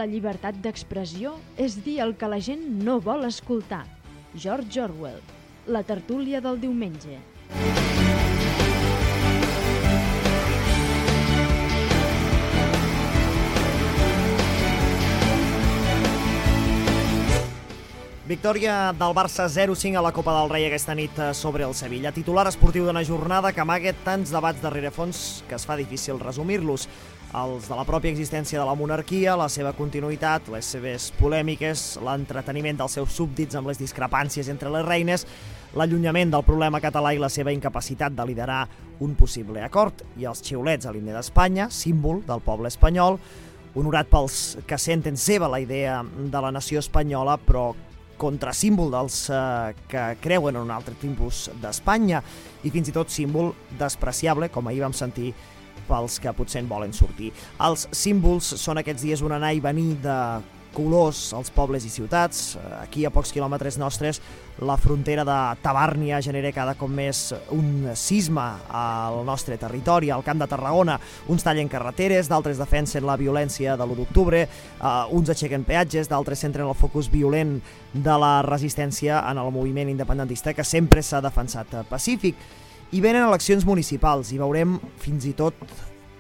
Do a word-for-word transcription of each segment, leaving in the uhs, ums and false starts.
la llibertat d'expressió és dir el que la gent no vol escoltar. George Orwell, la tertúlia del diumenge. Victòria del Barça zero cinc a la Copa del Rei aquesta nit sobre el Sevilla. Titular esportiu d'una jornada que amaga tants debats de rerefons que es fa difícil resumir-los. Els de la pròpia existència de la monarquia, la seva continuïtat, les seves polèmiques, l'entreteniment dels seus súbdits amb les discrepàncies entre les reines, l'allunyament del problema català i la seva incapacitat de liderar un possible acord, i els xiulets a l'himne d'Espanya, símbol del poble espanyol, honorat pels que senten seva la idea de la nació espanyola, però contrasímbol dels eh, que creuen en un altre tipus d'Espanya i fins i tot símbol despreciable, com ahir vam sentir, pels que potser en volen sortir. Els símbols són aquests dies un anar i venir de colors als pobles i ciutats. Aquí, a pocs quilòmetres nostres, la frontera de Tabàrnia genera cada cop més un cisma al nostre territori. Al Camp de Tarragona, uns tallen carreteres, d'altres defensen la violència de l'u d'octubre, uh, uns aixequen peatges, d'altres centren el focus violent de la resistència en el moviment independentista, que sempre s'ha defensat pacífic. I venen eleccions municipals i veurem fins i tot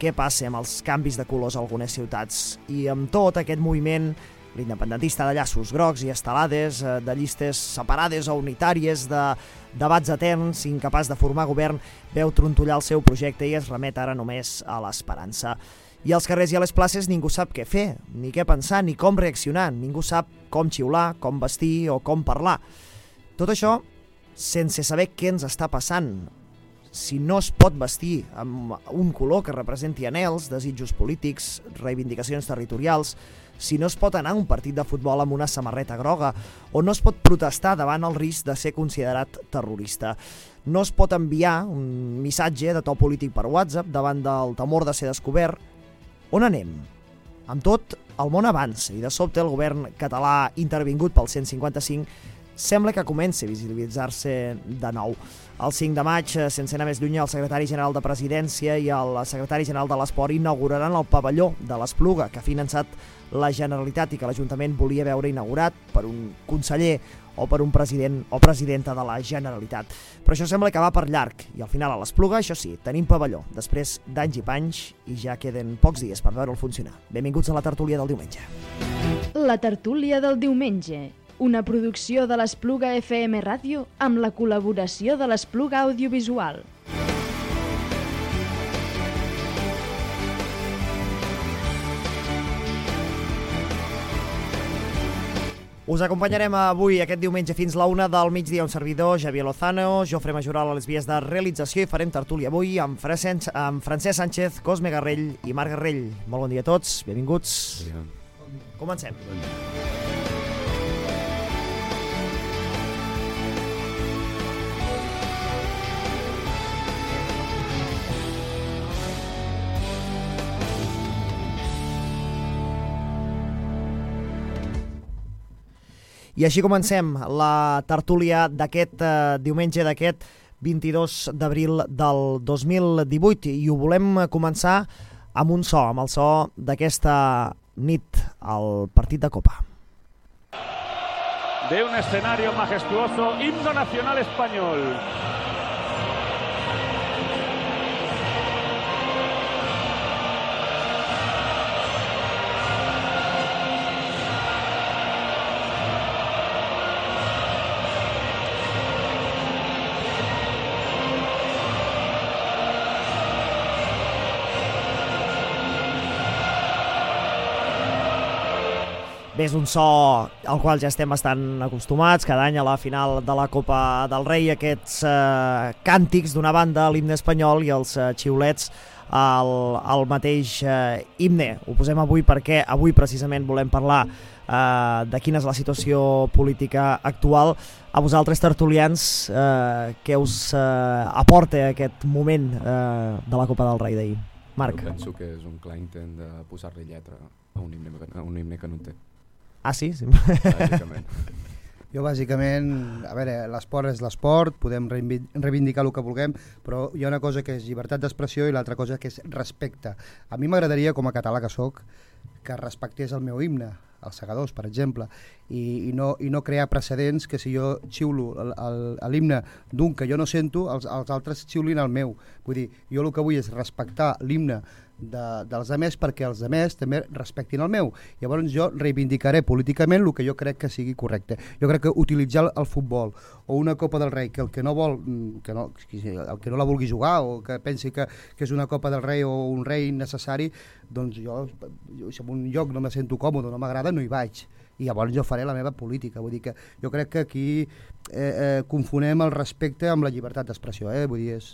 què passa amb els canvis de colors a algunes ciutats. I amb tot aquest moviment, l'independentista de llaços grocs i estelades, de llistes separades o unitàries, de debats eterns, incapaç de formar govern, veu trontollar el seu projecte i es remet ara només a l'esperança. I als carrers i a les places ningú sap què fer, ni què pensar, ni com reaccionar. Ningú sap com xiular, com vestir o com parlar. Tot això sense saber què ens està passant. Si no es pot vestir amb un color que representi anhels, desitjos polítics, reivindicacions territorials, si no es pot anar a un partit de futbol amb una samarreta groga, o no es pot protestar davant el risc de ser considerat terrorista. No es pot enviar un missatge de to polític per WhatsApp davant del temor de ser descobert. On anem? Amb tot, el món avança i de sobte el govern català intervingut pel cent cinquanta cinc sembla que comença a visibilitzar-se de nou. El cinc de maig, sense anar més lluny, el secretari general de Presidència i el secretari general de l'Esport inauguraran el pavelló de l'Espluga, que ha finançat la Generalitat i que l'Ajuntament volia veure inaugurat per un conseller o per un president o presidenta de la Generalitat. Però això sembla que va per llarg i al final a l'Espluga, això sí, tenim pavelló, després d'anys i panys, i ja queden pocs dies per veure'l funcionar. Benvinguts a la tertúlia del diumenge. La tertúlia del diumenge, una producció de l'Espluga F M Ràdio amb la col·laboració de l'Espluga Audiovisual. Us acompanyarem avui, aquest diumenge, fins la una del migdia, un servidor, Javier Lozano, Jofre Majoral a les vies de realització, i farem tertúlia avui amb, Francesc, amb Francesc Sánchez, Cosme Garrell i Marc Garrell. Molt bon dia a tots, benvinguts. Bon dia. Comencem. Bon dia. I així comencem la tertúlia d'aquest eh, diumenge, d'aquest vint-i-dos d'abril del dos mil divuit, i ho volem començar amb un so, amb el so d'aquesta nit al partit de Copa. De un escenario majestuoso, himno nacional español. Bé, és un so al qual ja estem bastant acostumats, cada any a la final de la Copa del Rei, aquests eh, càntics d'una banda, l'himne espanyol, i els eh, xiulets al, al mateix eh, himne. Ho posem avui perquè avui precisament volem parlar eh, de quina és la situació política actual. A vosaltres, tertulians, eh, què us eh, aporta aquest moment eh, de la Copa del Rei d'ahir? Marc. Jo penso que és un clar intent de posar-li lletra a un himne, a un himne que no en té. Ah, sí? Sí. Bàsicament. Jo bàsicament, a veure, l'esport és l'esport, podem reivindicar el que vulguem, però hi ha una cosa que és llibertat d'expressió i l'altra cosa que és respecte. A mi m'agradaria, com a català que sóc, que respectés el meu himne, els segadors, per exemple, i, i, no, i no crear precedents que si jo xiulo l'himne d'un que jo no sento, els, els altres xiulin el meu. Vull dir, jo el que vull és respectar l'himne de, dels altres perquè els altres també respectin el meu. Llavors jo reivindicaré políticament el que jo crec que sigui correcte. Jo crec que utilitzar el futbol o una Copa del Rei que el que no vol, que no, el que no la vulgui jugar o que pensi que, que és una Copa del Rei o un rei necessari, doncs jo, jo si en un lloc no me sento còmode, no m'agrada, no hi vaig. I llavors jo faré la meva política. Vull dir que jo crec que aquí eh, eh, confonem el respecte amb la llibertat d'expressió. Eh? Vull dir, és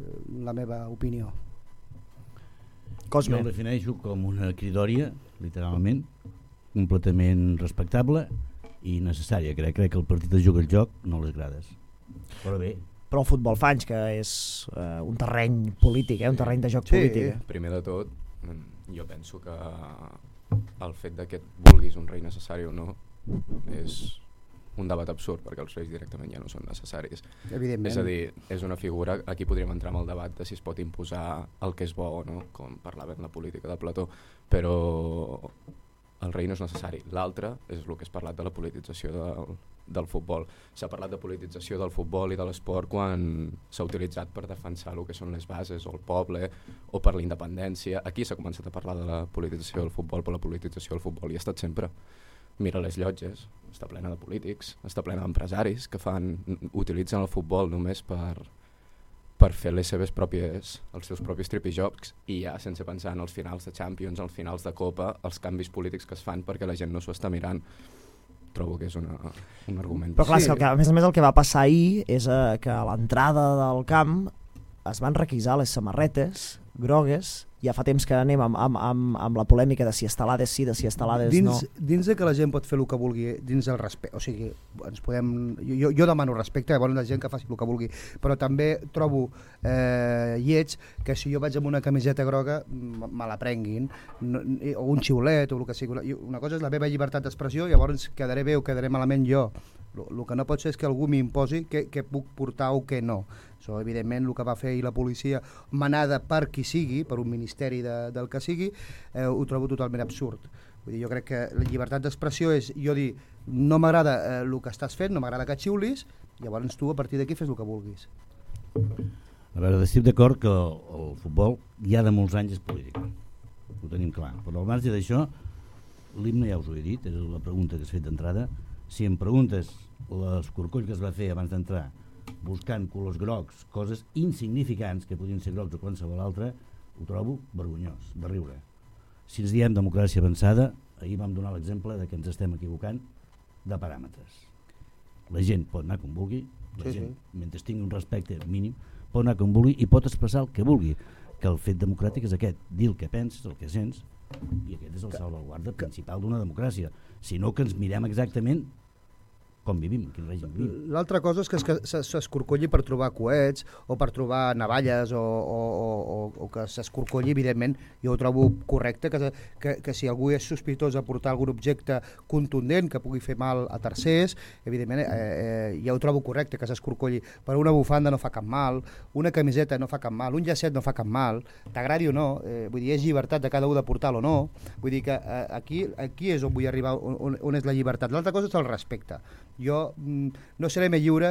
eh, la meva opinió. Cosme. Jo el defineixo com una cridòria, literalment, completament respectable i necessària. Crec, crec que el partit es juga el joc, no les grades. Però bé. Però el futbol fa anys que és uh, un terreny polític, eh? Un terreny de joc sí. polític. Eh? Primer de tot, jo penso que el fet de que et vulguis un rei necessari o no és un debat absurd, perquè els reis directament ja no són necessaris. Evidentment. És a dir, és una figura, aquí podríem entrar en el debat de si es pot imposar el que és bo o no, com parlava en la política de Plató, però el rei no és necessari. L'altre és el que has parlat de la politització del, del futbol. S'ha parlat de politització del futbol i de l'esport quan s'ha utilitzat per defensar el que són les bases o el poble o per la independència. Aquí s'ha començat a parlar de la politització del futbol, però la politització del futbol hi ha estat sempre. Mira les llotges, està plena de polítics, està plena d'empresaris que fan, utilitzen el futbol només per, per fer les seves pròpies, els seus propis tripijocs i ja sense pensar en els finals de Champions, els finals de Copa, els canvis polítics que es fan perquè la gent no s'ho està mirant. Trobo que és una, un argument. Però clar, sí. que, a més a més el que va passar ahir és eh, que a l'entrada del camp es van requisar les samarretes grogues. Ja fa temps que anem amb, amb, amb, amb la polèmica de si estelades sí, de si estelades dins, no. Dins de que la gent pot fer el que vulgui, dins del respecte, o sigui, ens podem, jo, jo demano respecte, llavors la gent que faci el que vulgui, però també trobo eh, lleig que si jo vaig amb una camiseta groga me la prenguin, no, o un xiulet o el que sigui. Una cosa és la meva llibertat d'expressió, llavors quedaré bé o quedaré malament jo. El que no pot ser és que algú m'imposi què, què puc portar o què no. Això, evidentment, el que va fer ahir la policia, manada per qui sigui, per un ministeri de, del que sigui, eh, ho trobo totalment absurd. Vull dir, jo crec que la llibertat d'expressió és jo dir, no m'agrada eh, el que estàs fent, no m'agrada que xiulis, llavors tu a partir d'aquí fes el que vulguis. A veure, estic d'acord que el, el futbol ja de molts anys és polític. Ho tenim clar. Però al marge d'això, l'himne ja us ho he dit, és la pregunta que has fet d'entrada. Si em preguntes l'escorcoll que es va fer abans d'entrar buscant colors grocs, coses insignificants que podien ser grocs o qualsevol altre, ho trobo vergonyós, de riure. Si ens diem democràcia avançada, ahir vam donar l'exemple de que ens estem equivocant de paràmetres. La gent pot anar com vulgui, la sí, gent, sí. mentre tingui un respecte mínim, pot anar com vulgui i pot expressar el que vulgui, que el fet democràtic és aquest, dir el que penses, el que sents, i aquest és el salvaguarda principal d'una democràcia, sinó que ens mirem exactament com vivim, quin règim vivim. L'altra cosa és que s'escorcolli per trobar coets o per trobar navalles o, o, o, o que s'escorcolli, evidentment, jo ho trobo correcte, que, que, que si algú és sospitós de portar algun objecte contundent que pugui fer mal a tercers, evidentment, eh, eh, ja ho trobo correcte que s'escorcolli, però una bufanda no fa cap mal, una camiseta no fa cap mal, un llacet no fa cap mal, t'agradi o no, eh, vull dir, és llibertat de cada un de portar-lo o no, vull dir que eh, aquí, aquí és on vull arribar, on, on és la llibertat. L'altra cosa és el respecte. Jo mm, no seré més lliure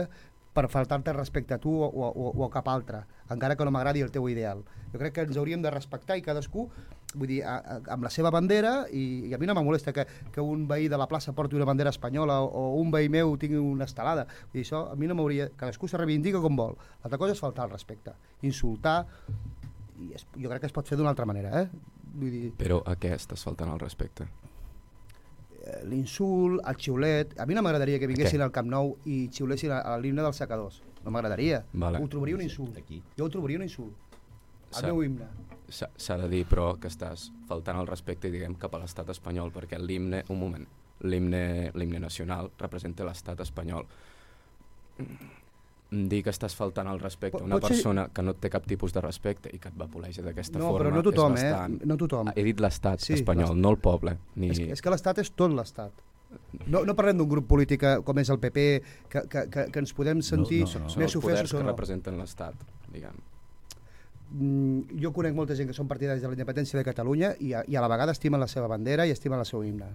per faltar-te respecte a tu o, o, o a cap altre, encara que no m'agradi el teu ideal. Jo crec que ens hauríem de respectar i cadascú, vull dir, a, a, amb la seva bandera, i, i a mi no me molesta que, que un veí de la plaça porti una bandera espanyola o, o un veí meu tingui una estelada. Vull dir, això a mi no m'hauria... Cadascú se reivindica com vol. L'altra cosa és faltar el respecte, insultar, i es, jo crec que es pot fer d'una altra manera, eh? Vull dir... Però a què estàs faltant el respecte? L'insult, el xiulet. A mi no m'agradaria que vinguessin al Camp Nou i xiulessin a, a l'himne dels secadors. No m'agradaria. Vale. Ho trobaria un insult. Aquí. Jo ho trobaria un insult. El meu himne. S'ha de dir, però, que estàs faltant el respecte, diguem, cap a l'estat espanyol, perquè l'himne, un moment, l'himne l'himne nacional representa l'estat espanyol. Dir que estàs faltant el respecte a una Pot persona ser... que no et té cap tipus de respecte i que et va volejar d'aquesta no, forma però no tothom, és bastant... Eh? No tothom. He dit l'estat sí, espanyol, no el poble. Ni... És, és que l'estat és tot l'estat. No, no parlem d'un grup polític com és el P P, que, que, que, que ens podem sentir No, no, no. Són més els poders ofesos o que no. representen l'Estat, diguem. Mm, jo conec molta gent que són partidaris de la independència de Catalunya i a, i a la vegada estimen la seva bandera i estimen el seu himne.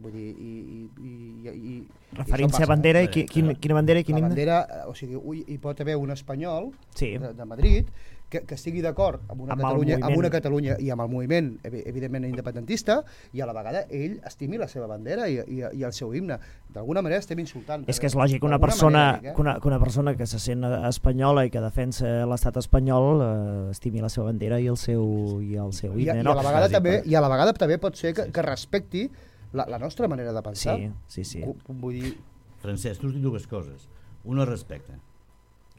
Vull dir, i, i, i, i, Referència a bandera, i qui, quin, quina bandera i quin la himne? bandera, o sigui, ui, hi pot haver un espanyol Sí. de, de Madrid que, que estigui d'acord amb, una Amb el Catalunya, amb moviment. una Catalunya i amb el moviment, evi- evidentment, independentista, i a la vegada ell estimi la seva bandera i, i, i el seu himne. D'alguna manera estem insultant. És que és lògic, una D'alguna persona, manera, dic, eh? que una, que una persona que se sent espanyola i que defensa l'estat espanyol eh, estimi la seva bandera i el seu, i el seu I, a- himne, i, a no? la vegada Bàsic, també, però- I a la vegada també pot ser que, que respecti la, la nostra manera de pensar. Sí, sí, sí. Cu- Vull dir, Francesc, tu has dit dues coses. Una, respecte.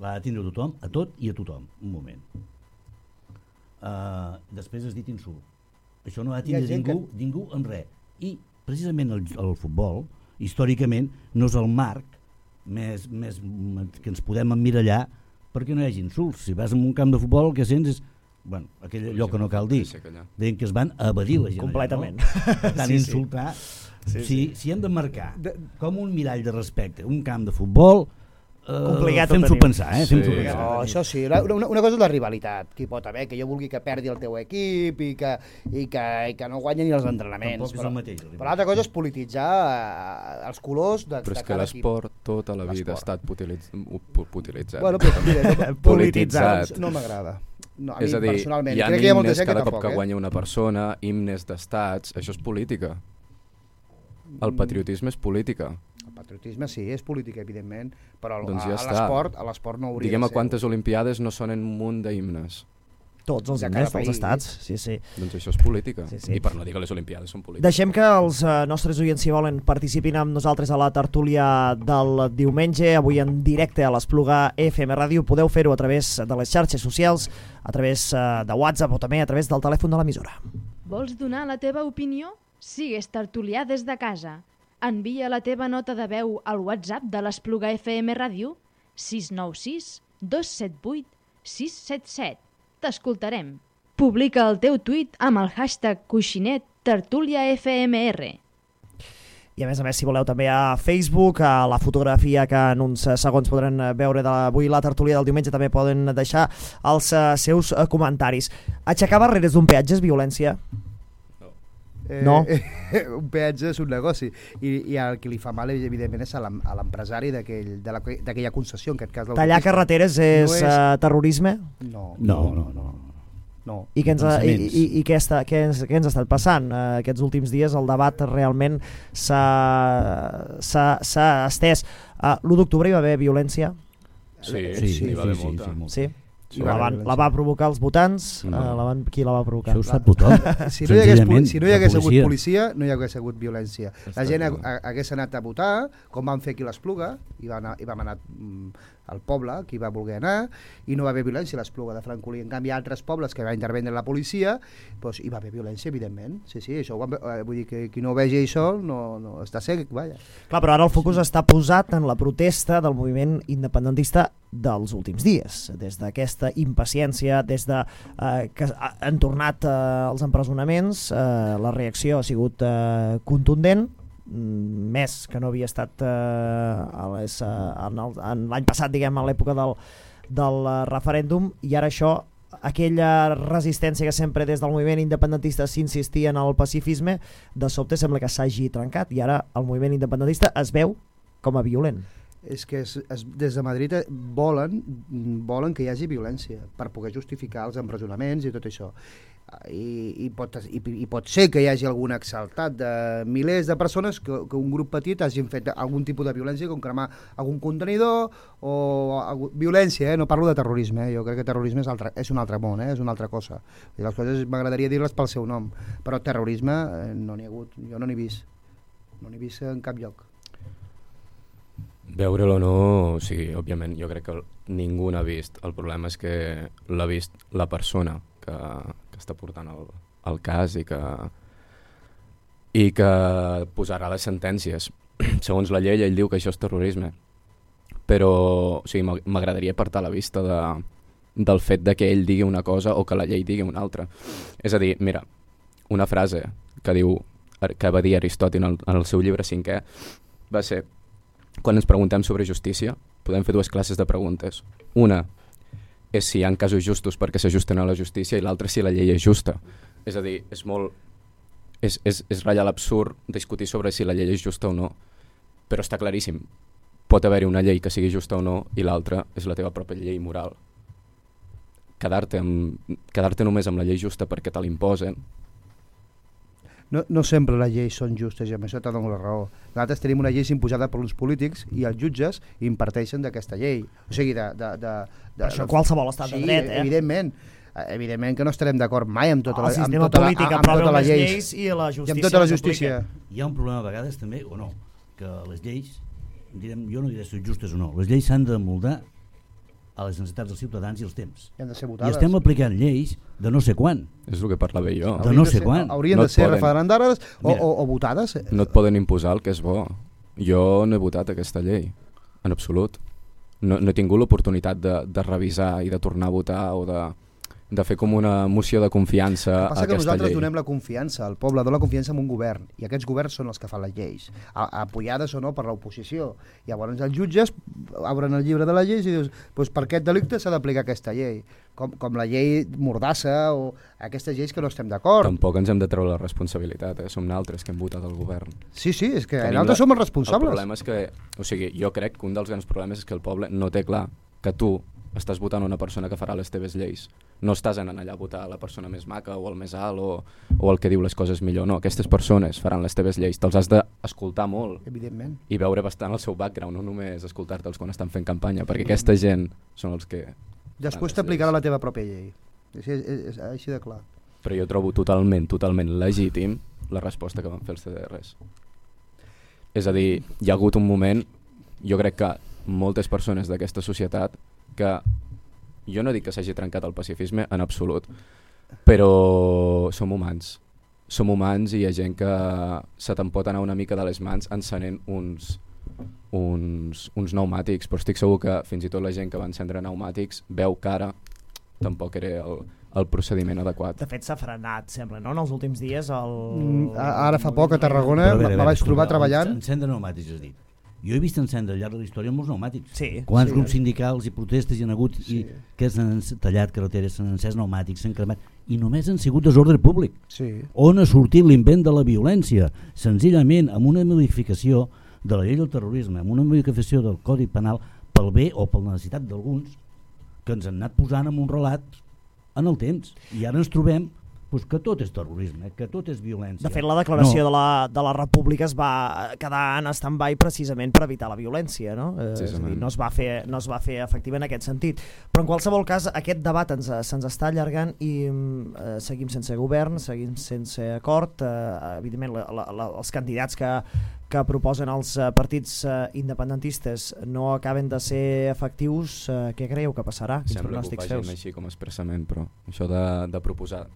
L'ha de tindre tothom, a tot i a tothom. Un moment. Uh, després has dit insult. Això no ha de Hi ha tindre gent ningú, que... ningú amb res. I precisament el, el futbol, històricament, no és el marc més, més que ens podem emmirallar perquè no hi hagi insults. Si vas a un camp de futbol el que sents és, bueno, aquell allò que no cal dir, deien que es van evadir la gent. Completament. Allà, no? Per tant, Sí, sí. insultar... Sí, si, sí. si hem de marcar com un mirall de respecte un camp de futbol, eh, Complicat ho fem-s'ho tenim. pensar, eh? Fem-s'ho Sí. pensar. no, això sí, la- una, una cosa és la rivalitat, que hi pot haver, que jo vulgui que perdi el teu equip i que, i que, i que no guanyi ni els entrenaments. Tampoc és el mateix, la Però l'altra cosa és polititzar eh, els colors de, Però de és que cada equip. l'esport tota la vida ha L'esport. estat utilitz... utilitzat. Bueno, però, mira, no, Polititzat. No, no m'agrada. No, a És mi, a dir, personalment. hi ha Crec que hi ha molta himnes gent que cada cop tampoc, que eh? guanya una persona, himnes d'estats, això és política. El patriotisme és política. El patriotisme sí, és política, evidentment, però el- Doncs ja a, a està. l'esport a l'esport no hauria Diguem de a ser. quantes olimpiades no sonen un munt d'himnes. Tots els De himnes cada dels país. estats, sí, sí. Doncs això és política. Sí, sí. I per no dir que les olimpiades són polítiques. Deixem que els eh, nostres oients, si volen, participin amb nosaltres a la tertúlia del diumenge, avui en directe a l'Espluga F M Ràdio. Podeu fer-ho a través de les xarxes socials, a través eh, de WhatsApp o també a través del telèfon de l'emissora. Vols donar la teva opinió? Sigues tertulià des de casa. Envia la teva nota de veu al WhatsApp de l'Espluga F M Ràdio sis nou sis dos set vuit sis set set. T'escoltarem. Publica el teu tuit amb el hashtag coixinet tertúlia F M R. I a més a més, si voleu també a Facebook, a la fotografia que en uns eh, segons podran eh, veure d'avui la tertúlia del diumenge, també poden deixar els eh, seus eh, comentaris. Aixecar barreres d'un peatge és violència? Eh, No. eh, un peatge és un negoci i, i el que li fa mal evidentment és a l'em- a l'empresari d'aquell- de la- d'aquella concessió, en aquest cas Tallar l'autopista. carreteres és, No és- eh, terrorisme? No, No, no, no. no. I què ens, ha, i, Pensaments. i, i què, està, què, ens, què ens ha estat passant? Eh, aquests últims dies el debat realment s'ha s'ha- s'ha estès. Uh, l'u d'octubre hi va haver violència? Sí, Sí, sí, n'hi va haver sí, molta. sí, molta. Sí? Sí, la, va haver van, violència. la va provocar els votants? No. Uh, la van, qui la va provocar? Això ho sap tothom. Si no hi hagués, Senzillament, si no hi la hagués hagut policia. policia, no hi hagués hagut violència. La Està gent ha, clar. ha- hagués anat a votar, com van fer aquí a l'Espluga, i, va anar, i vam anar mm, al poble, qui va voler anar, i no va haver violència a l'Espluga de Francolí. En canvi, a altres pobles que va intervendre la policia, doncs hi va haver violència, evidentment. Sí, sí, això ho vam, eh, vull dir que qui no vegi això no, no està cec, vaja. Clar, però ara el focus està posat en la protesta del moviment independentista dels últims dies, des d'aquesta impaciència, des de eh, que ha- han tornat eh, els empresonaments, eh, la reacció ha sigut eh, contundent, mm, més que no havia estat eh, a les, eh, en el- en l'any passat, diguem, a l'època del, del eh, referèndum, i ara això, aquella resistència que sempre des del moviment independentista s'insistia en el pacifisme, de sobte sembla que s'hagi trencat, i ara el moviment independentista es veu com a violent. És que es, es, des de Madrid eh, volen, volen que hi hagi violència per poder justificar els empresonaments i tot això. I, i, pot, i, i pot ser que hi hagi algun exaltat de milers de persones que, que un grup petit hagin fet algun tipus de violència, com cremar algun contenidor o algú, violència, eh? No parlo de terrorisme, eh? Jo crec que terrorisme és, altre, és un altre món, eh? És una altra cosa. I les coses m'agradaria dir-les pel seu nom, però terrorisme eh, no n'hi ha hagut, jo no n'he vist, no n'he vist en cap lloc. Veure'l o no, o sigui, òbviament, jo crec que ningú n'ha vist. El problema és que l'ha vist la persona que, que està portant el, el cas i que, i que posarà les sentències. Segons la llei, ell diu que això és terrorisme. Però o sigui, m'agradaria apartar la vista de, del fet de que ell digui una cosa o que la llei digui una altra. És a dir, mira, una frase que diu que va dir Aristòtil en el, en el seu llibre cinquè va ser, quan ens preguntem sobre justícia, podem fer dues classes de preguntes. Una és si hi ha casos justos perquè s'ajusten a la justícia i l'altra si la llei és justa. És a dir, és molt... És, és, és ratllar l'absurd discutir sobre si la llei és justa o no, però està claríssim. Pot haver-hi una llei que sigui justa o no i l'altra és la teva pròpia llei moral. Quedar-te amb, quedar-te només amb la llei justa perquè te l'imposen. No, no sempre les lleis són justes i amb això te dono la raó. Nosaltres tenim una llei imposada per uns polítics i els jutges imparteixen d'aquesta llei. O sigui, de... de, de, de per això qualsevol estat sí, de dret, eh? evidentment. Evidentment que no estarem d'acord mai amb tota la, el amb sistema tota la, polític amb tota aprova la les lleis. lleis i la justícia i amb tota la justícia. Hi ha un problema a vegades també, o no, que les lleis, direm, jo no diré si són justes o no, les lleis s'han de moldar a les necessitats dels ciutadans i els temps. I han de ser I votades. estem aplicant lleis de no sé quan. És el que parlava jo. De no sé quan. Haurien No de et ser poden- referendades o, Mira. o, o votades. No et poden imposar el que és bo. Jo no he votat aquesta llei, en absolut. No, no he tingut l'oportunitat de, de revisar i de tornar a votar o de, de fer com una moció de confiança El que a passa que aquesta nosaltres llei. donem la confiança, el poble dona la confiança en un govern i aquests governs són els que fan les lleis, a, apoyades o no per l'oposició. Llavors els jutges obren el llibre de les lleis i dius, pues per aquest delicte s'ha d'aplicar aquesta llei, com, com la llei Mordassa o aquestes lleis que no estem d'acord. Tampoc ens hem de treure la responsabilitat, eh? Som naltres que hem votat al govern. Sí, sí, és que Tenim nosaltres la- som els responsables. El problema és que, o sigui, jo crec que un dels grans problemes és que el poble no té clar que tu estàs votant una persona que farà les teves lleis. No estàs anant allà a votar la persona més maca o el més alt o, o el que diu les coses millor. No, aquestes persones faran les teves lleis. Te'ls has d'escoltar molt Evidentment. i veure bastant el seu background, no només escoltar-te'ls quan estan fent campanya, perquè aquesta gent són els que... Després fan les t'aplicarà lleis. la teva pròpia llei. És, és, és, és així de clar. Però jo trobo totalment, totalment legítim la resposta que van fer els C D Rs. És a dir, hi ha hagut un moment, jo crec que moltes persones d'aquesta societat, que jo no dic que s'hagi trencat el pacifisme en absolut, però som humans. Som humans i hi ha gent que se te'n pot anar una mica de les mans encenent uns, uns, uns pneumàtics, però estic segur que fins i tot la gent que va encendre pneumàtics veu que ara tampoc era el, el procediment adequat. De fet, s'ha frenat, sembla, no? En els últims dies... El... Mm, Ara fa poc a Tarragona me vaig trobar treballant... Encendre pneumàtics, has dit. Jo he vist encendre al llarg de la història molts pneumàtics. Sí, Quants sí, grups sí. sindicals i protestes hi han hagut Sí. i que s'han tallat carreteres, s'han encès pneumàtics, s'han cremat i només han sigut desordre públic. Sí. On ha sortit l'invent de la violència? Senzillament amb una modificació de la llei del terrorisme, amb una modificació del Codi Penal pel bé o per la necessitat d'alguns que ens han anat posant en un relat en el temps. I ara ens trobem pues, que tot és terrorisme, que tot és violència. De fet, la declaració No. de, la, de la República es va quedar en stand-by precisament per evitar la violència, no? Eh, és a dir, no es va fer, no es va fer efectiva en aquest sentit. Però en qualsevol cas, aquest debat ens, se'ns està allargant i eh, seguim sense govern, seguim sense acord. Eh, evidentment, la, la, la, els candidats que, que proposen els eh, partits eh, independentistes no acaben de ser efectius. Eh, què creieu que passarà? Quins Sembla que ho pronòstics facin feus? així com expressament, però això de, de proposar...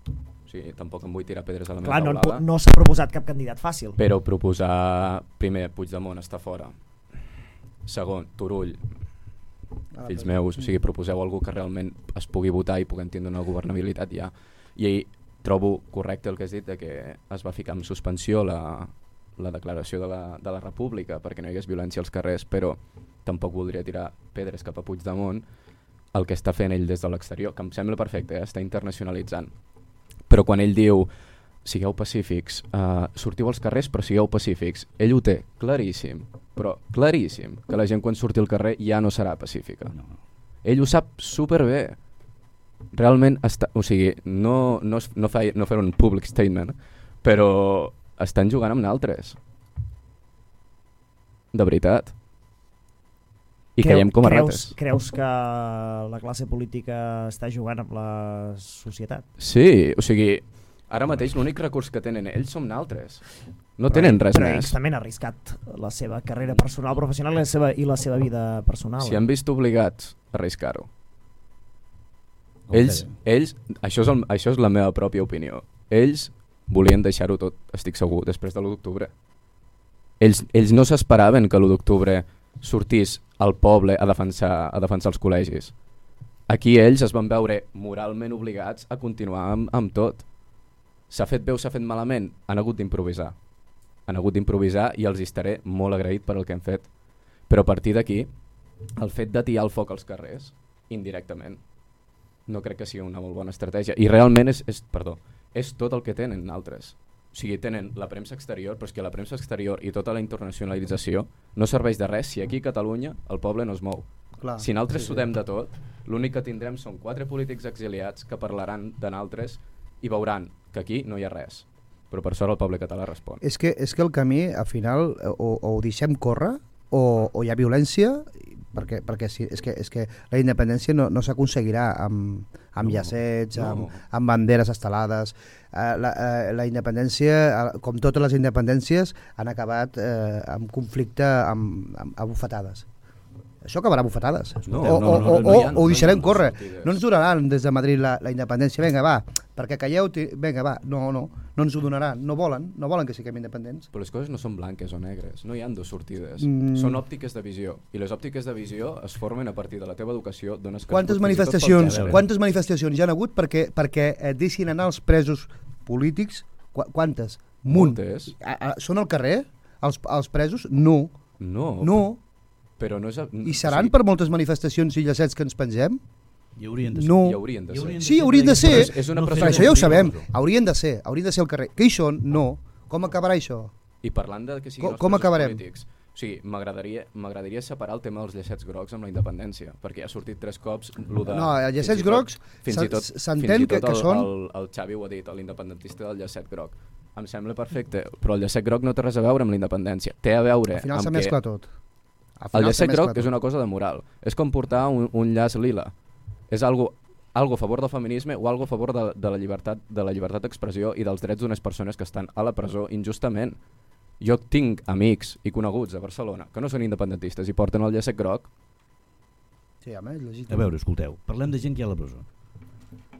O sigui, tampoc em vull tirar pedres a la Clar, meva no, taulada, no s'ha proposat cap candidat fàcil. però proposar, primer, Puigdemont està fora. Segon, Turull, Ah, fills però- meus, o sigui, proposeu algú que realment es pugui votar i puguem tindre una governabilitat ja. I trobo correcte el que has dit de que es va ficar en suspensió la, la declaració de la, de la República perquè no hi hagués violència als carrers, però tampoc voldria tirar pedres cap a Puigdemont el que està fent ell des de l'exterior, que em sembla perfecte, eh? Està internacionalitzant. Però quan ell diu sigueu pacífics, uh, sortiu als carrers però sigueu pacífics, ell ho té claríssim, però claríssim, que la gent quan surti al carrer ja no serà pacífica. No, no. Ell ho sap superbé. Realment, està, o sigui, no, no, es- no, fa, no fer un public statement, però estan jugant amb naltres. De veritat. I Creu- caiem com a creus, rates. creus que la classe política està jugant amb la societat? Sí, o sigui, ara mateix l'únic recurs que tenen ells som naltres. No tenen res però més. ells també han arriscat la seva carrera personal, professional i la seva, i la seva vida personal. Si han vist obligats a arriscar-ho. El Ells, Pere. ells això, és el, això és la meva pròpia opinió. Ells volien deixar-ho tot, estic segur, després de l'u d'octubre. Ells, ells no s'esperaven que l'u d'octubre sortís al poble a defensar, a defensar els col·legis. Aquí ells es van veure moralment obligats a continuar amb, amb tot. S'ha fet bé o s'ha fet malament, han hagut d'improvisar. han hagut d'improvisar i els estaré molt agraït per el que han fet. Però a partir d'aquí, el fet d'atiar el foc als carrers, indirectament, no crec que sigui una molt bona estratègia. I realment és, és, perdó, és tot el que tenen altres. O sigui, tenen la premsa exterior, però és que la premsa exterior i tota la internacionalització no serveix de res si aquí a Catalunya el poble no es mou. Clar, si nosaltres sí, sí. sudem de tot, l'únic que tindrem són quatre polítics exiliats que parlaran de nosaltres i veuran que aquí no hi ha res. Però per sort el poble català respon. És que, és que el camí, al final, o, o ho deixem córrer, o, o hi ha violència, perquè, perquè sí, és, que, és que la independència no, no s'aconseguirà amb, amb no, llacets, no. amb, amb banderes estelades. Uh, la, uh, la independència, uh, com totes les independències, han acabat uh, amb conflicte amb, amb, amb bufetades. Això acabarà bufetades. No, o, no, no, no, o, no, o, o ho deixarem no córrer. sortides. No ens donaran des de Madrid la, la independència. Vinga, va, perquè calleu, vinga, va. No, no, no ens ho donaran. No volen, no volen que siguem independents. Però les coses no són blanques o negres, no hi ha dos sortides. Mm. Són òptiques de visió. I les òptiques de visió es formen a partir de la teva educació, dones que Quantes manifestacions, quantes manifestacions hi ha hagut perquè, perquè eh, deixin anar els presos polítics? Qu quantes? Munt. Moltes. A, a, són al carrer? Els, els presos? No. No. No. Però no és... A... I seran sí. per moltes manifestacions i llacets que ens pengem? I haurien de ser. No. I haurien de ser. Sí, haurien de ser. És, és una no, pressió. això ja ho sabem. Haurien de ser. Haurien de ser al carrer. Què hi són? No. Com acabarà això? I parlant de que siguin Com, els com presos acabarem? polítics, o sigui, m'agradaria separar el tema dels llacets grocs amb la independència, perquè ha sortit tres cops lo de... No, els llacets grocs s'entén que, que el, són... El, el Xavi ho ha dit, l'independentista del llacet groc. Em sembla perfecte, però el llacet groc no té res a veure amb la independència. Té a veure Al final amb se mescla tot. El llacet groc és una cosa de moral. És com portar un, un llaç lila. És algo, algo a favor del feminisme o algo a favor de, de la llibertat de la llibertat d'expressió i dels drets d'unes persones que estan a la presó injustament. Jo tinc amics i coneguts a Barcelona que no són independentistes i porten el llacet groc. Sí, home, és legítim. A veure, escolteu, parlem de gent que hi ha a la presó.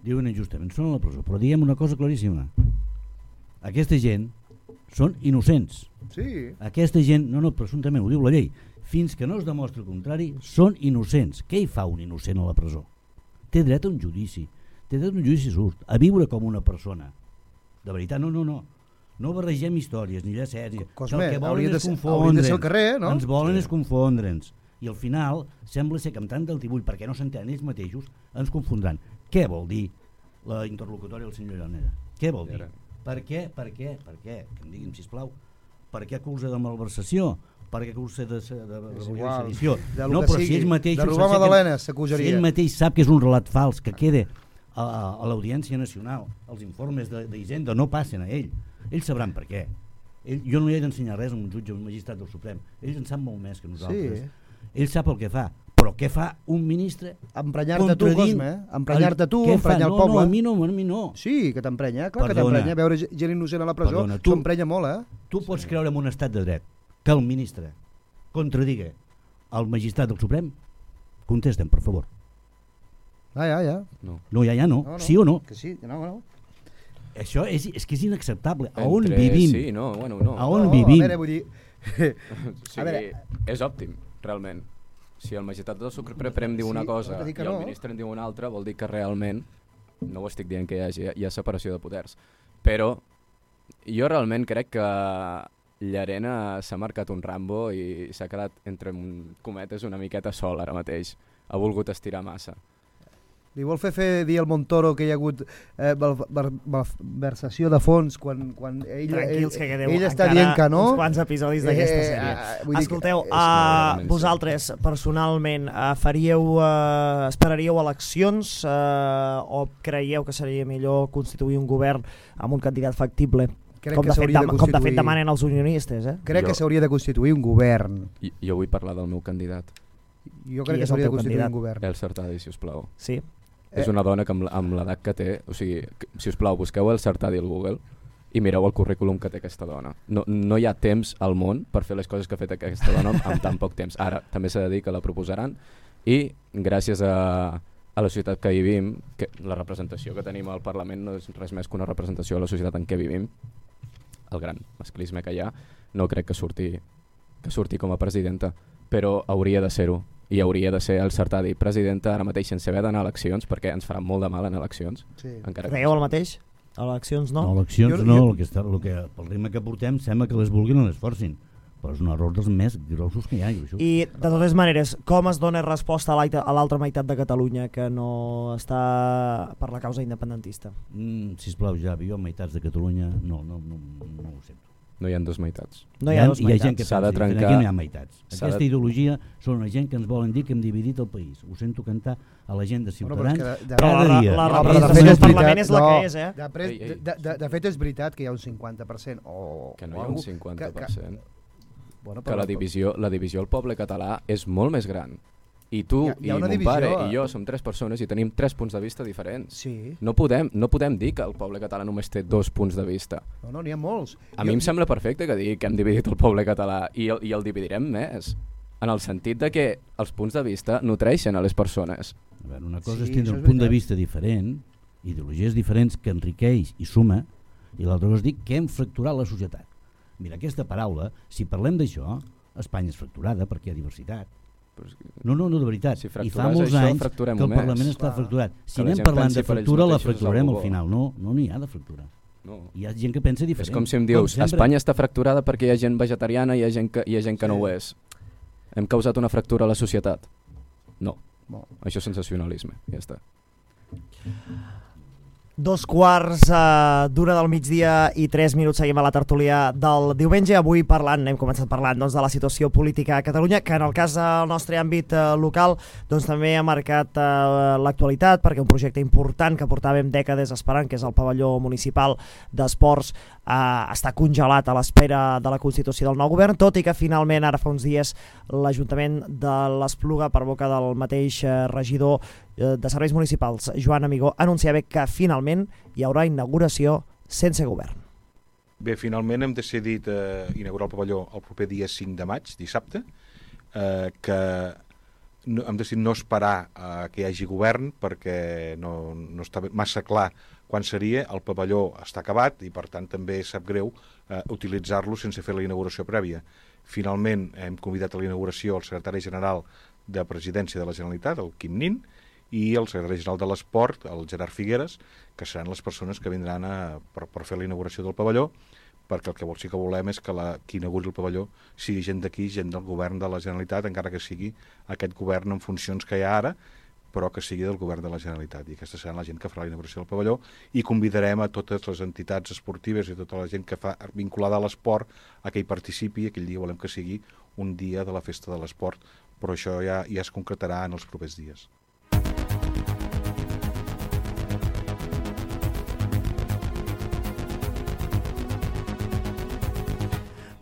Diuen injustament, són a la presó, però diem una cosa claríssima. Aquesta gent són innocents. Sí. Aquesta gent, no, no, presumptament, ho diu la llei, fins que no es demostri el contrari, són innocents. Què hi fa un innocent a la presó? Té dret a un judici, té dret a un judici just, a viure com una persona. De veritat, no, no, no. No barregem històries, ni llacets, ni... Cosme, el que volen és hauria confondre'ns. de ser al carrer, no? Ens volen Sí. és confondre'ns. I al final, sembla ser que amb tant d'altibull, perquè no s'entenen ells mateixos, ens confondran. Què vol dir la interlocutòria del senyor Llanera? Què vol dir? Per què, per què, per què? Que em diguin, sisplau. Per què acusa de malversació? Per què acusa de, de, de rebel·lió i sedició? De No, però si ells mateixos... de robar magdalenes Si s'acusaria. ell mateix sap que és un relat fals, que queda a, a, a l'Audiència Nacional, els informes d'Hisenda no passen a ell. Ells sabran per què. Ell, jo no li he d'ensenyar res a un jutge o un magistrat del Suprem. Ells en sap molt més que nosaltres. Sí. Ell sap el que fa. Però què fa un ministre? Emprenyar-te tu, Cosme, eh? Emprenyar-te tu, Què emprenyar fa? el No, poble. no, a mi no, a mi no. Sí, que t'emprenya, clar que Perdona. t'emprenya. Veure gent innocent a la presó Perdona, tu- s'emprenya molt, eh? Tu pots creure en un estat de dret que el ministre contradiga el magistrat del Suprem? Contestem, per favor. Ah, ja, ja. No. No, ja, ja no. No, no. Sí o no? Que sí, no, no. Això és, és que és inacceptable. A on Entre- vivim? Sí, no, bueno, no. A on no, vivim? A veure, vull dir... O sigui, A veure. és òptim, realment. Si el magistrat del Suprem diu una Sí, cosa no t'he dit i que el no. ministre en diu una altra, vol dir que realment, no ho estic dient que hi hagi, hi ha separació de poders, però jo realment crec que Llarena s'ha marcat un Rambo i s'ha quedat entre cometes una miqueta sol ara mateix. Ha volgut estirar massa. Li vol fer fer dir al Montoro que hi ha hagut eh, malversació de fons quan, quan ell, Tranquils, ell, que quedeu ell està encara dient que no. uns quants episodis d'aquesta Eh, sèrie. ah, vull dir que- Escolteu, és- uh, realment, vosaltres personalment uh, faríeu, uh, esperaríeu eleccions uh, o creieu que seria millor constituir un govern amb un candidat factible? Crec Com que de, fet, s'hauria de dem com de fet constituir. demanen els unionistes, eh? Crec Jo- que s'hauria de constituir un govern. I, jo vull parlar del meu candidat, Jo Qui crec que és el s'hauria de teu constituir candidat? un govern. El Sartadi, si us plau. Sí. És Eh. una dona que amb, amb l'edat que té, o sigui, que- si us plau, busqueu el Sartadi al Google i mireu el currículum que té aquesta dona. No, no hi ha temps al món per fer les coses que ha fet aquesta dona amb tan poc temps. Ara, també s'ha de dir que la proposaran i gràcies a, a la societat que vivim, que la representació que tenim al Parlament no és res més que una representació de la societat en què vivim, el gran masclisme que hi ha, no crec que surti, que surti com a presidenta, però hauria de ser-ho. I hauria de ser el Sartadi presidenta ara mateix sense haver d'anar a eleccions, perquè ens farà molt de mal en eleccions. Sí. Encara que Creieu el mateix? Eleccions no? No, eleccions Jo- no, jo- el que està, el que, pel ritme que portem sembla que les vulguin o les forcin, però és un error dels més grossos que hi ha. I, això. I de totes maneres, com es dona resposta a l'aita- a l'altra meitat de Catalunya que no està per la causa independentista? Mm, sisplau, Javi, jo meitats de Catalunya no, no, no, no ho sento. No hi ha dos meitats. No hi ha dos hi ha gent meitats. que S'ha de pensa diferent, trencar- aquí no hi ha meitats. s'ha Aquesta de- ideologia són una gent que ens volen dir que hem dividit el país. Ho sento cantar a la gent de Bueno, però és Ciutadans que de- de- Però cada la, dia. la No, però de representació fet del és Parlament veritat, és la no. que és, eh? De, pres, Ei, ei. de, de, de fet és veritat que hi ha un cinquanta per cent o, Que no o hi ha un algú cinquanta per cent. Que, que, bueno, Que però- la divisió, la divisió al poble català és molt més gran. I tu Hi ha- hi ha i una mon divisió, pare eh? i jo som tres persones i tenim tres punts de vista diferents. Sí, No podem, no podem dir que el poble català només té dos punts de vista. no, no, n'hi ha molts. A Jo- mi em sembla perfecte que digui que hem dividit el poble català i el, i el dividirem més, en el sentit de que els punts de vista nutreixen a les persones. A veure, una cosa Sí, és tindre això un és punt de veritat. vista diferent, ideologies diferents que enriqueix i suma, i l'altra cosa és dir que hem fracturat la societat. Mira, aquesta paraula, si parlem d'això, Espanya és fracturada perquè hi ha diversitat. Però és que- No, no, no, de veritat. Si I fa fracturàs molts això, anys que fracturem-ho el més. Parlament està Clar. fracturat. Si Que la anem gent parlant pensi de per ells fractura, la mateixos és fracturem algú al bo. final. No, no n'hi ha de fracturar. No. Hi ha gent que pensa És diferent. com si em dius, sempre. Espanya està fracturada perquè hi ha gent vegetariana i hi ha gent que, hi ha gent que no ho és. Hem causat una fractura a la societat? No. Bon. Això és sensacionalisme, ja està. Dos quarts eh, d'una del migdia i tres minuts seguim a la tertúlia del diumenge. Avui parlant, hem començat parlant doncs, de la situació política a Catalunya, que en el cas del nostre àmbit eh, local doncs, també ha marcat eh, l'actualitat, perquè un projecte important que portàvem dècades esperant, que és el pavelló municipal d'esports, eh, està congelat a l'espera de la constitució del nou govern, tot i que finalment ara fa uns dies l'Ajuntament de l'Espluga, per boca del mateix eh, regidor de Serveis Municipals, Joan Amigó, anunciava que finalment hi haurà inauguració sense govern. Bé, finalment hem decidit eh, inaugurar el pavelló el proper dia cinc de maig, dissabte, eh, que no, hem decidit no esperar eh, que hi hagi govern perquè no, no està massa clar quan seria. El pavelló està acabat i per tant també sap greu eh, utilitzar-lo sense fer la inauguració prèvia. Finalment hem convidat a la inauguració el secretari general de Presidència de la Generalitat, el Quim Nin, i el secretari general de l'Esport, el Gerard Figueres, que seran les persones que vindran a, per, per fer la inauguració del pavelló, perquè el que sí que volem és que la, qui inauguri el pavelló sigui gent d'aquí, gent del govern de la Generalitat, encara que sigui aquest govern en funcions que hi ha ara, però que sigui del govern de la Generalitat. I aquesta serà la gent que farà la inauguració del pavelló, i convidarem a totes les entitats esportives i tota la gent que fa vinculada a l'esport a que hi participi. Aquell dia volem que sigui un dia de la festa de l'esport, però això ja, ja es concretarà en els propers dies.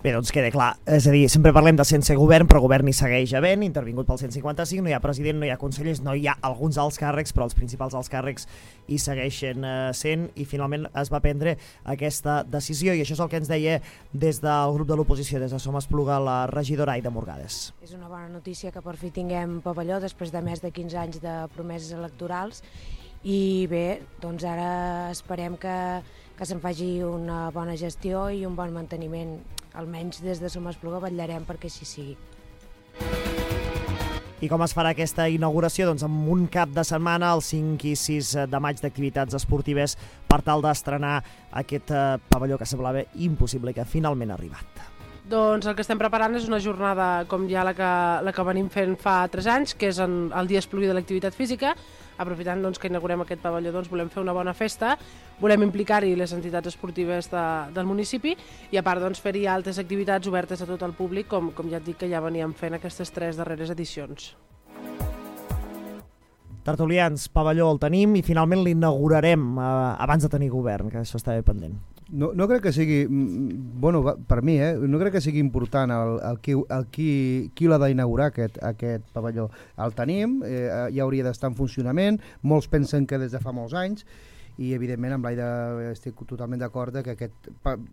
Bé, doncs queda clar, és a dir, sempre parlem de sense govern, però govern hi segueix havent, intervingut pel cent cinquanta-cinc, no hi ha president, no hi ha consellers, no hi ha alguns alts càrrecs, però els principals alts càrrecs hi segueixen eh, sent, i finalment es va prendre aquesta decisió, i això és el que ens deia des del grup de l'oposició, des de Som Espluga, la regidora Aida Morgades. És una bona notícia que per fi tinguem pavelló després de més de quinze anys de promeses electorals, i bé, doncs ara esperem que, que se'n faci una bona gestió i un bon manteniment. Almenys des de Som Espluga vetllarem perquè així sigui. I com es farà aquesta inauguració? Doncs amb un cap de setmana, el cinc i sis de maig, d'activitats esportives per tal d'estrenar aquest eh, pavelló que semblava impossible i que finalment ha arribat. Doncs el que estem preparant és una jornada com ja la que, la que venim fent fa tres anys, que és en el Dia Espluguí de l'Activitat Física. Aprofitant doncs, que inaugurem aquest pavelló, doncs, volem fer una bona festa, volem implicar-hi les entitats esportives de, del municipi i a part doncs, fer-hi altres activitats obertes a tot el públic, com, com ja et dic que ja veníem fent aquestes tres darreres edicions. Tertulians, pavelló el tenim i finalment l'inaugurarem eh, abans de tenir govern, que això està bé pendent. No, no crec que sigui, bueno, per mi, eh, no crec que sigui important el, el qui, el qui, qui l'ha d'inaugurar aquest, aquest pavelló. El tenim, eh, ja hauria d'estar en funcionament, molts pensen que des de fa molts anys, i evidentment amb l'Aida estic totalment d'acord que aquest,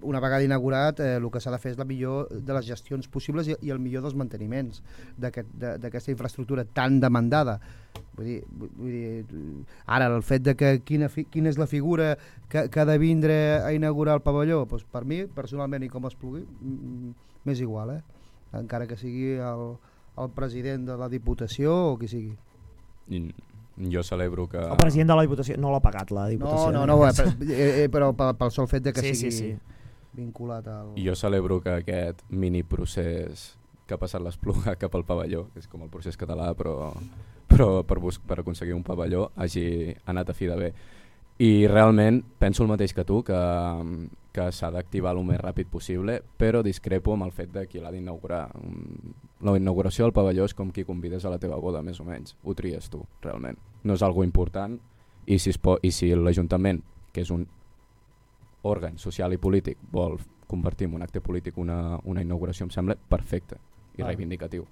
una vegada inaugurat eh, el que s'ha de fer és la millor de les gestions possibles i, i el millor dels manteniments d'aquesta aquest, infraestructura tan demandada. Vull dir, vull dir, ara el fet de que quina, fi, quina és la figura que, que ha de vindre a inaugurar el pavelló, doncs per mi personalment i com es pugui m'és igual, eh? Encara que sigui el, el president de la Diputació o qui sigui. I Jo celebro que... El president de la Diputació no l'ha pagat, la Diputació. No, no, no, eh, però pel sol fet de que sí, sigui sí, sí. vinculat al... Jo celebro que aquest mini procés que ha passat l'Espluga cap al pavelló, que és com el procés català, però, però per, bus- per aconseguir un pavelló hagi anat a fi de bé. I realment penso el mateix que tu, que, que s'ha d'activar el més ràpid possible, però discrepo amb el fet de qui l'ha d'inaugurar. La inauguració del pavelló és com qui convides a la teva boda, més o menys. Ho tries tu, realment. No és algo important, i si, es po- i si l'Ajuntament, que és un òrgan social i polític, vol convertir en un acte polític una, una inauguració, em sembla perfecte i ah. reivindicatiu.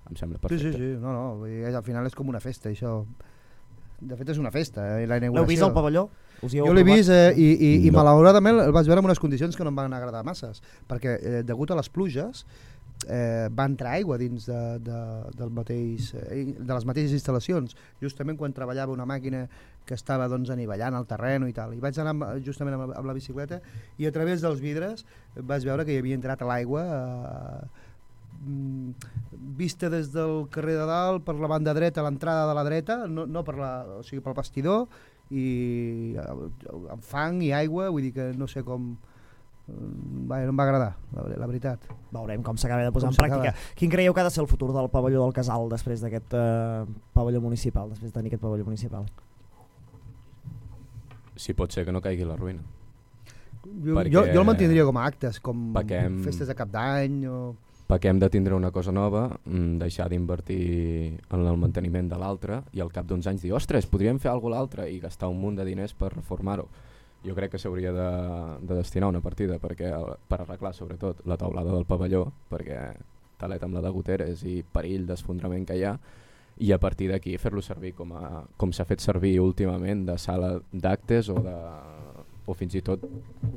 Em sembla Sí, perfecte. sí, sí, no, no, vull dir, al final és com una festa, això. De fet és una festa, eh, la inauguració. L'heu vist al pavelló? Us hi heu Jo l'he aprovat? vist eh, i, i, i No. malauradament el vaig veure en unes condicions que no em van agradar masses, perquè eh, degut a les pluges eh, va entrar aigua dins de, de, del mateix, eh, de les mateixes instal·lacions, justament quan treballava una màquina que estava doncs, anivellant el terreny i tal. I vaig anar amb, justament amb, amb la bicicleta i a través dels vidres vaig veure que hi havia entrat a l'aigua eh, vista des del carrer de dalt per la banda dreta, l'entrada de la dreta, no, no per la, o sigui, pel vestidor, i amb fang i aigua, vull dir que no sé com... Va, no em va agradar, la, la veritat. Veurem com s'acaba de posar Com en pràctica. s'acaba. Quin creieu que ha de ser el futur del pavelló del Casal després d'aquest eh, pavelló municipal, després de tenir aquest pavelló municipal? Si pot ser que no caigui la ruïna. Jo, Perquè- jo, jo el mantindria com a actes, com Perquè hem- festes de cap d'any o... Perquè hem de tindre una cosa nova, mm, deixar d'invertir en el manteniment de l'altre i al cap d'uns anys dir, ostres, podríem fer alguna cosa l'altre i gastar un munt de diners per reformar-ho. Jo crec que s'hauria de, de destinar una partida perquè, per arreglar sobretot la taulada del pavelló, perquè talet amb la de goteres i perill d'esfondrament que hi ha, i a partir d'aquí fer-lo servir com, a, com s'ha fet servir últimament de sala d'actes o de o fins i tot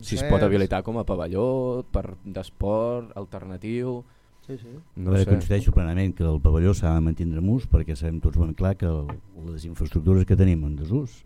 si es pot habilitar com a pavelló per d'esport alternatiu. Sí, sí. No No sé. Coincideixo plenament que el pavelló s'ha de mantindre en ús perquè sabem tots ben clar que el, les infraestructures que tenim en desús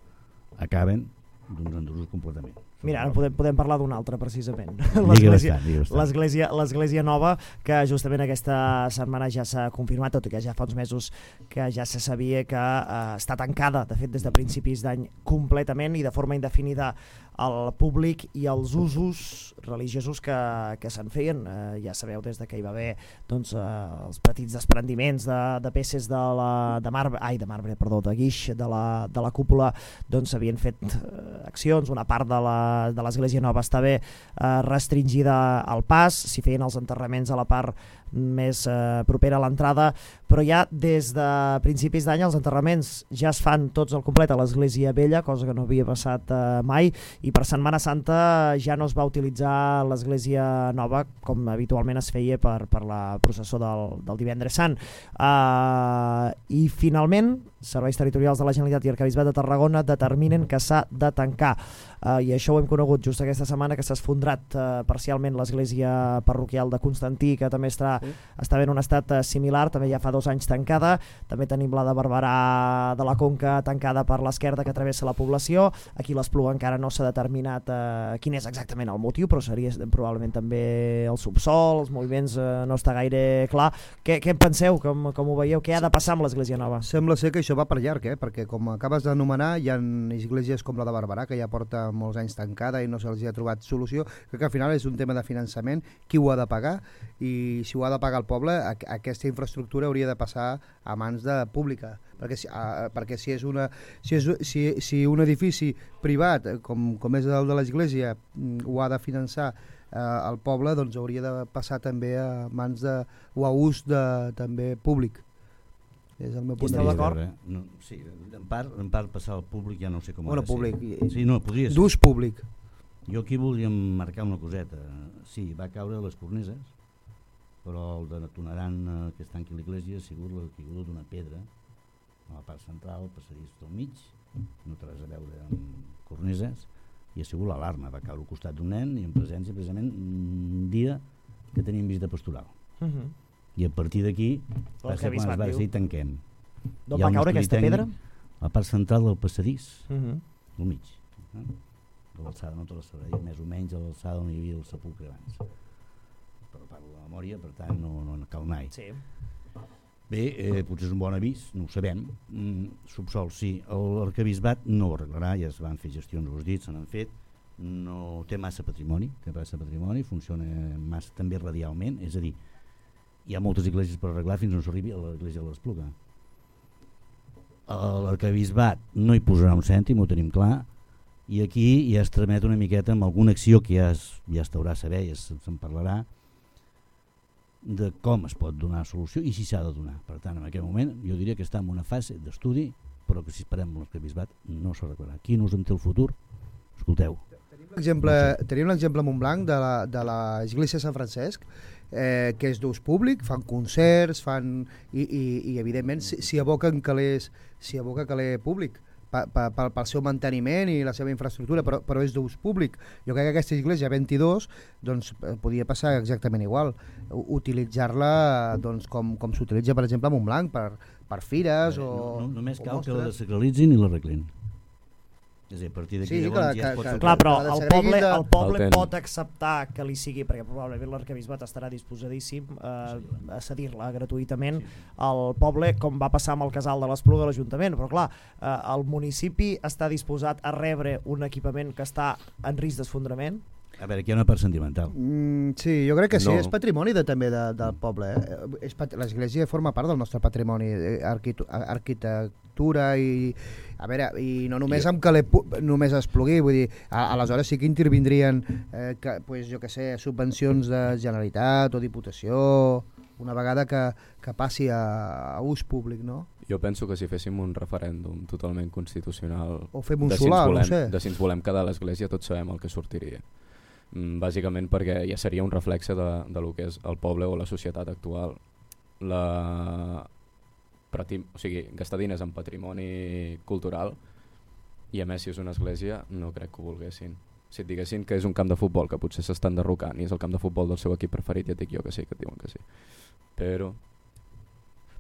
acaben doncs, en desús completament. Mira, ara podem, podem parlar d'un altre, precisament. Digue L'església bastant, digue bastant. l'església l'església nova, que justament aquesta setmana ja s'ha confirmat, tot i que ja fa uns mesos que ja se sabia que eh, està tancada, de fet des de principis d'any completament i de forma indefinida al públic i als usos religiosos que, que se'n feien. Eh, ja sabeu des de que hi va haver doncs, eh, els petits desprendiments de, de peces de, la, de marbre, ai, de marbre, perdó, de guix de la, de la cúpula, doncs s'havien fet eh, accions, una part de la de l'església nova està bé eh, restringida al pas, s'hi feien els enterraments a la part més eh, propera a l'entrada, però ja des de principis d'any els enterraments ja es fan tots al complet a l'església vella, cosa que no havia passat eh, mai, i per Setmana Santa ja no es va utilitzar l'església nova com habitualment es feia per, per la processó del, del divendres sant. Uh, I finalment serveis territorials de la Generalitat i Arquebisbat de Tarragona determinen que s'ha de tancar. Uh, I això ho hem conegut just aquesta setmana, que s'ha esfondrat uh, parcialment l'església parroquial de Constantí, que també està, sí. està en un estat uh, similar, també ja fa dos anys tancada. També tenim la de Barberà de la Conca tancada per l'esquerda que travessa la població. Aquí l'Espluga encara no s'ha determinat uh, quin és exactament el motiu, però seria probablement també el subsol, els moviments uh, no està gaire clar. Què, què en penseu? Com, com ho veieu? Què ha de passar amb l'església nova? Sembla ser que això va per llarg, eh? Perquè com acabes d'anomenar hi ha esglésies com la de Barberà que ja porta molts anys tancada i no se'ls ha trobat solució. Crec que al final és un tema de finançament, qui ho ha de pagar, i si ho ha de pagar el poble, aquesta infraestructura hauria de passar a mans de pública, perquè si, a, perquè si és una si, és, si, si un edifici privat com, com és el de l'església ho ha de finançar eh, el poble, doncs hauria de passar també a mans de, o a ús de, també públic. És el meu punt de Esteu vista. d'acord? No, sí, en part, en part passar al públic ja no sé com Bueno, ha de públic. ser. Sí, no, podria ser. D'ús públic. Jo aquí volia marcar una coseta. Sí, va caure a les cornises, però el detonaran eh, que està aquí a l'església ha sigut la caiguda d'una pedra a la part central, el passadís del mig, no té res a veure amb cornises, i ha sigut l'alarma. Va caure al costat d'un nen i en presència precisament un dia que teníem visita pastoral. Uh -huh. I a partir d'aquí va ser quan es va decidir tanquem. D'on va caure aquesta pedra? A la part central del passadís, Uh -huh. al mig. Eh? De l'alçada, no te la sabrà dir, més o menys a l'alçada on hi havia el sepulcre abans. Però parlo de memòria, per tant no, no cal anar-hi. Sí. Bé, eh, potser és un bon avís, no ho sabem. Mm, subsol, sí. L'arquebisbat no ho arreglarà, ja es van fer gestions, ho has dit, se n'han fet. No té massa patrimoni, té massa patrimoni, funciona massa també radialment, és a dir, hi ha moltes esglésies per arreglar fins on s'arribi a l'església de l'Espluga. L'arquebisbat no hi posarà un cèntim, ho tenim clar, i aquí ja es tramet una miqueta amb alguna acció que ja es, ja es deurà saber, ja se'n parlarà, de com es pot donar solució i si s'ha de donar. Per tant, en aquest moment jo diria que està en una fase d'estudi, però que si esperem l'arquebisbat no s'arreglarà. Qui no us en té el futur? Escolteu. Tenim l'exemple a Montblanc de l'església de Sant Francesc, eh, que és d'ús públic, fan concerts, fan i, i, i evidentment s'hi aboquen calés, s'hi aboca caler públic pel seu manteniment i la seva infraestructura, però, però és d'ús públic. Jo crec que aquesta església vint-i-dos doncs, podia passar exactament igual, utilitzar-la doncs, com, com s'utilitza per exemple a Montblanc per, per fires o no, no, només o cal mostres. Que la desacralitzin i l'arreglin. És a dir, a partir d'aquí sí, llavors que, ja es que, pot... que, Clar, però que el poble, de... el poble el pot acceptar que li sigui, perquè probablement l'arquebisbat estarà disposadíssim eh, a cedir-la gratuïtament al poble, com va passar amb el casal de l'Espluga a l'Ajuntament, però clar, eh, el municipi està disposat a rebre un equipament que està en risc d'esfondrament. A veure, aquí hi ha una part sentimental. Mm, sí, jo crec que sí, No. és patrimoni de, també de, del poble. Eh? L'església forma part del nostre patrimoni, eh, arquitectura i... A veure, i no només amb que només es plugui, vull dir, a, aleshores sí que intervindrien, eh, que, pues, jo que sé, subvencions de Generalitat o Diputació, una vegada que, que passi a, a ús públic, no? Jo penso que si féssim un referèndum totalment constitucional o fem un de, solar, si volem, no sé. de si ens volem quedar a l'església, tots sabem el que sortiria. Mm, bàsicament perquè ja seria un reflexe de, de lo que és el poble o la societat actual. La... O sigui, gastar diners en patrimoni cultural i a més si és una església no crec que ho volguessin. Si et diguessin que és un camp de futbol que potser s'estan derrocant i és el camp de futbol del seu equip preferit, ja et dic jo que sí, que et diuen que sí. Però...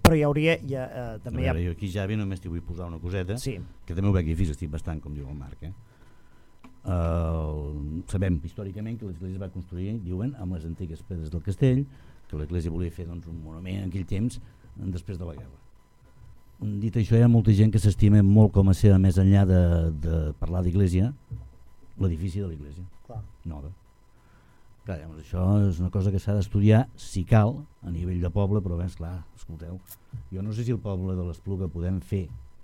Però hi hauria... Ja, eh, també a veure, hi ha... jo aquí, Javi, només t'hi vull posar una coseta, sí. Que també ho veig difícil, estic bastant, com diu el Marc. Eh? Uh, sabem històricament que l'església va construir, diuen, amb les antigues pedres del castell, que l'església volia fer doncs, un monument en aquell temps després de la guerra. Dit això, hi ha molta gent que s'estima molt com a ser, més enllà de, de parlar d'església, l'edifici de l'església nova. Clar, llavors, això és una cosa que s'ha d'estudiar, si cal, a nivell de poble, però bé, esclar, escolteu, jo no sé si el poble de l'Espluga podem fer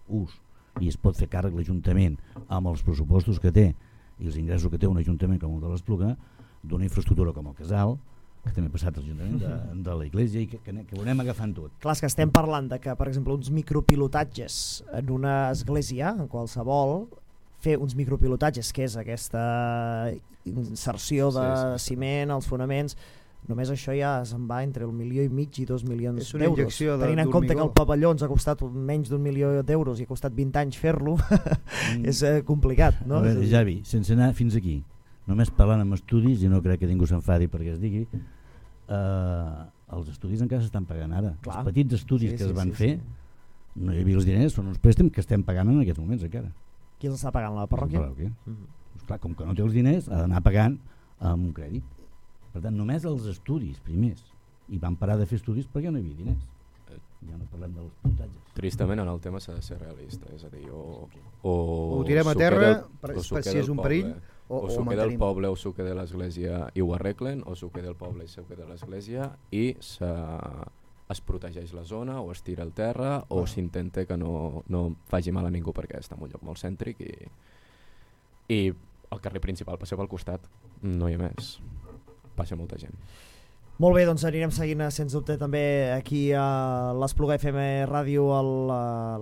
ús i es pot fer càrrec l'Ajuntament amb els pressupostos que té i els ingressos que té un Ajuntament com el de l'Espluga d'una infraestructura com el Casal, que també ha passat a l'Ajuntament de, de l'església i que, que, que ho anem agafant tot. Clar, és que estem parlant de que, per exemple, uns micropilotatges en una església, en qualsevol, fer uns micropilotatges, que és aquesta inserció de sí, sí. ciment als fonaments, només això ja se'n va entre el milió i mig i dos milions d'euros. Tenint en compte que el pavelló ens ha costat menys d'un milió d'euros i ha costat vint anys fer-lo, mm. és eh, complicat. No? A veure, Javi, sense anar fins aquí, només parlant amb estudis, i no crec que ningú s'enfadi perquè es digui, eh, els estudis encara s'estan pagant ara. Clar. Els petits estudis sí, que es van sí, fer, sí. No hi havia els diners, són uns préstecs que estem pagant en aquests moments encara. Qui els està pagant, la parròquia? La parròquia. Mm-hmm. Clar, com que no té els diners, ha d'anar pagant amb un crèdit. Per tant, només els estudis primers. I van parar de fer estudis perquè no hi havia diners. Ja no parlem dels puntatges. Tristament en el tema s'ha de ser realista, és a dir, o, o, o ho tirem a terra del, per, per si és un perill, o, o s'ho queda el poble o s'ho queda l'església i ho arreglen, o s'ho queda el poble i s'ho queda l'església i es protegeix la zona o es tira al terra o ah. s'intenta que no, no faci mal a ningú perquè està en un lloc molt cèntric i, i el carrer principal passa pel costat, no hi ha més, passa molta gent. Molt bé, doncs anirem seguint sens dubte també aquí a l'Espluga F M Ràdio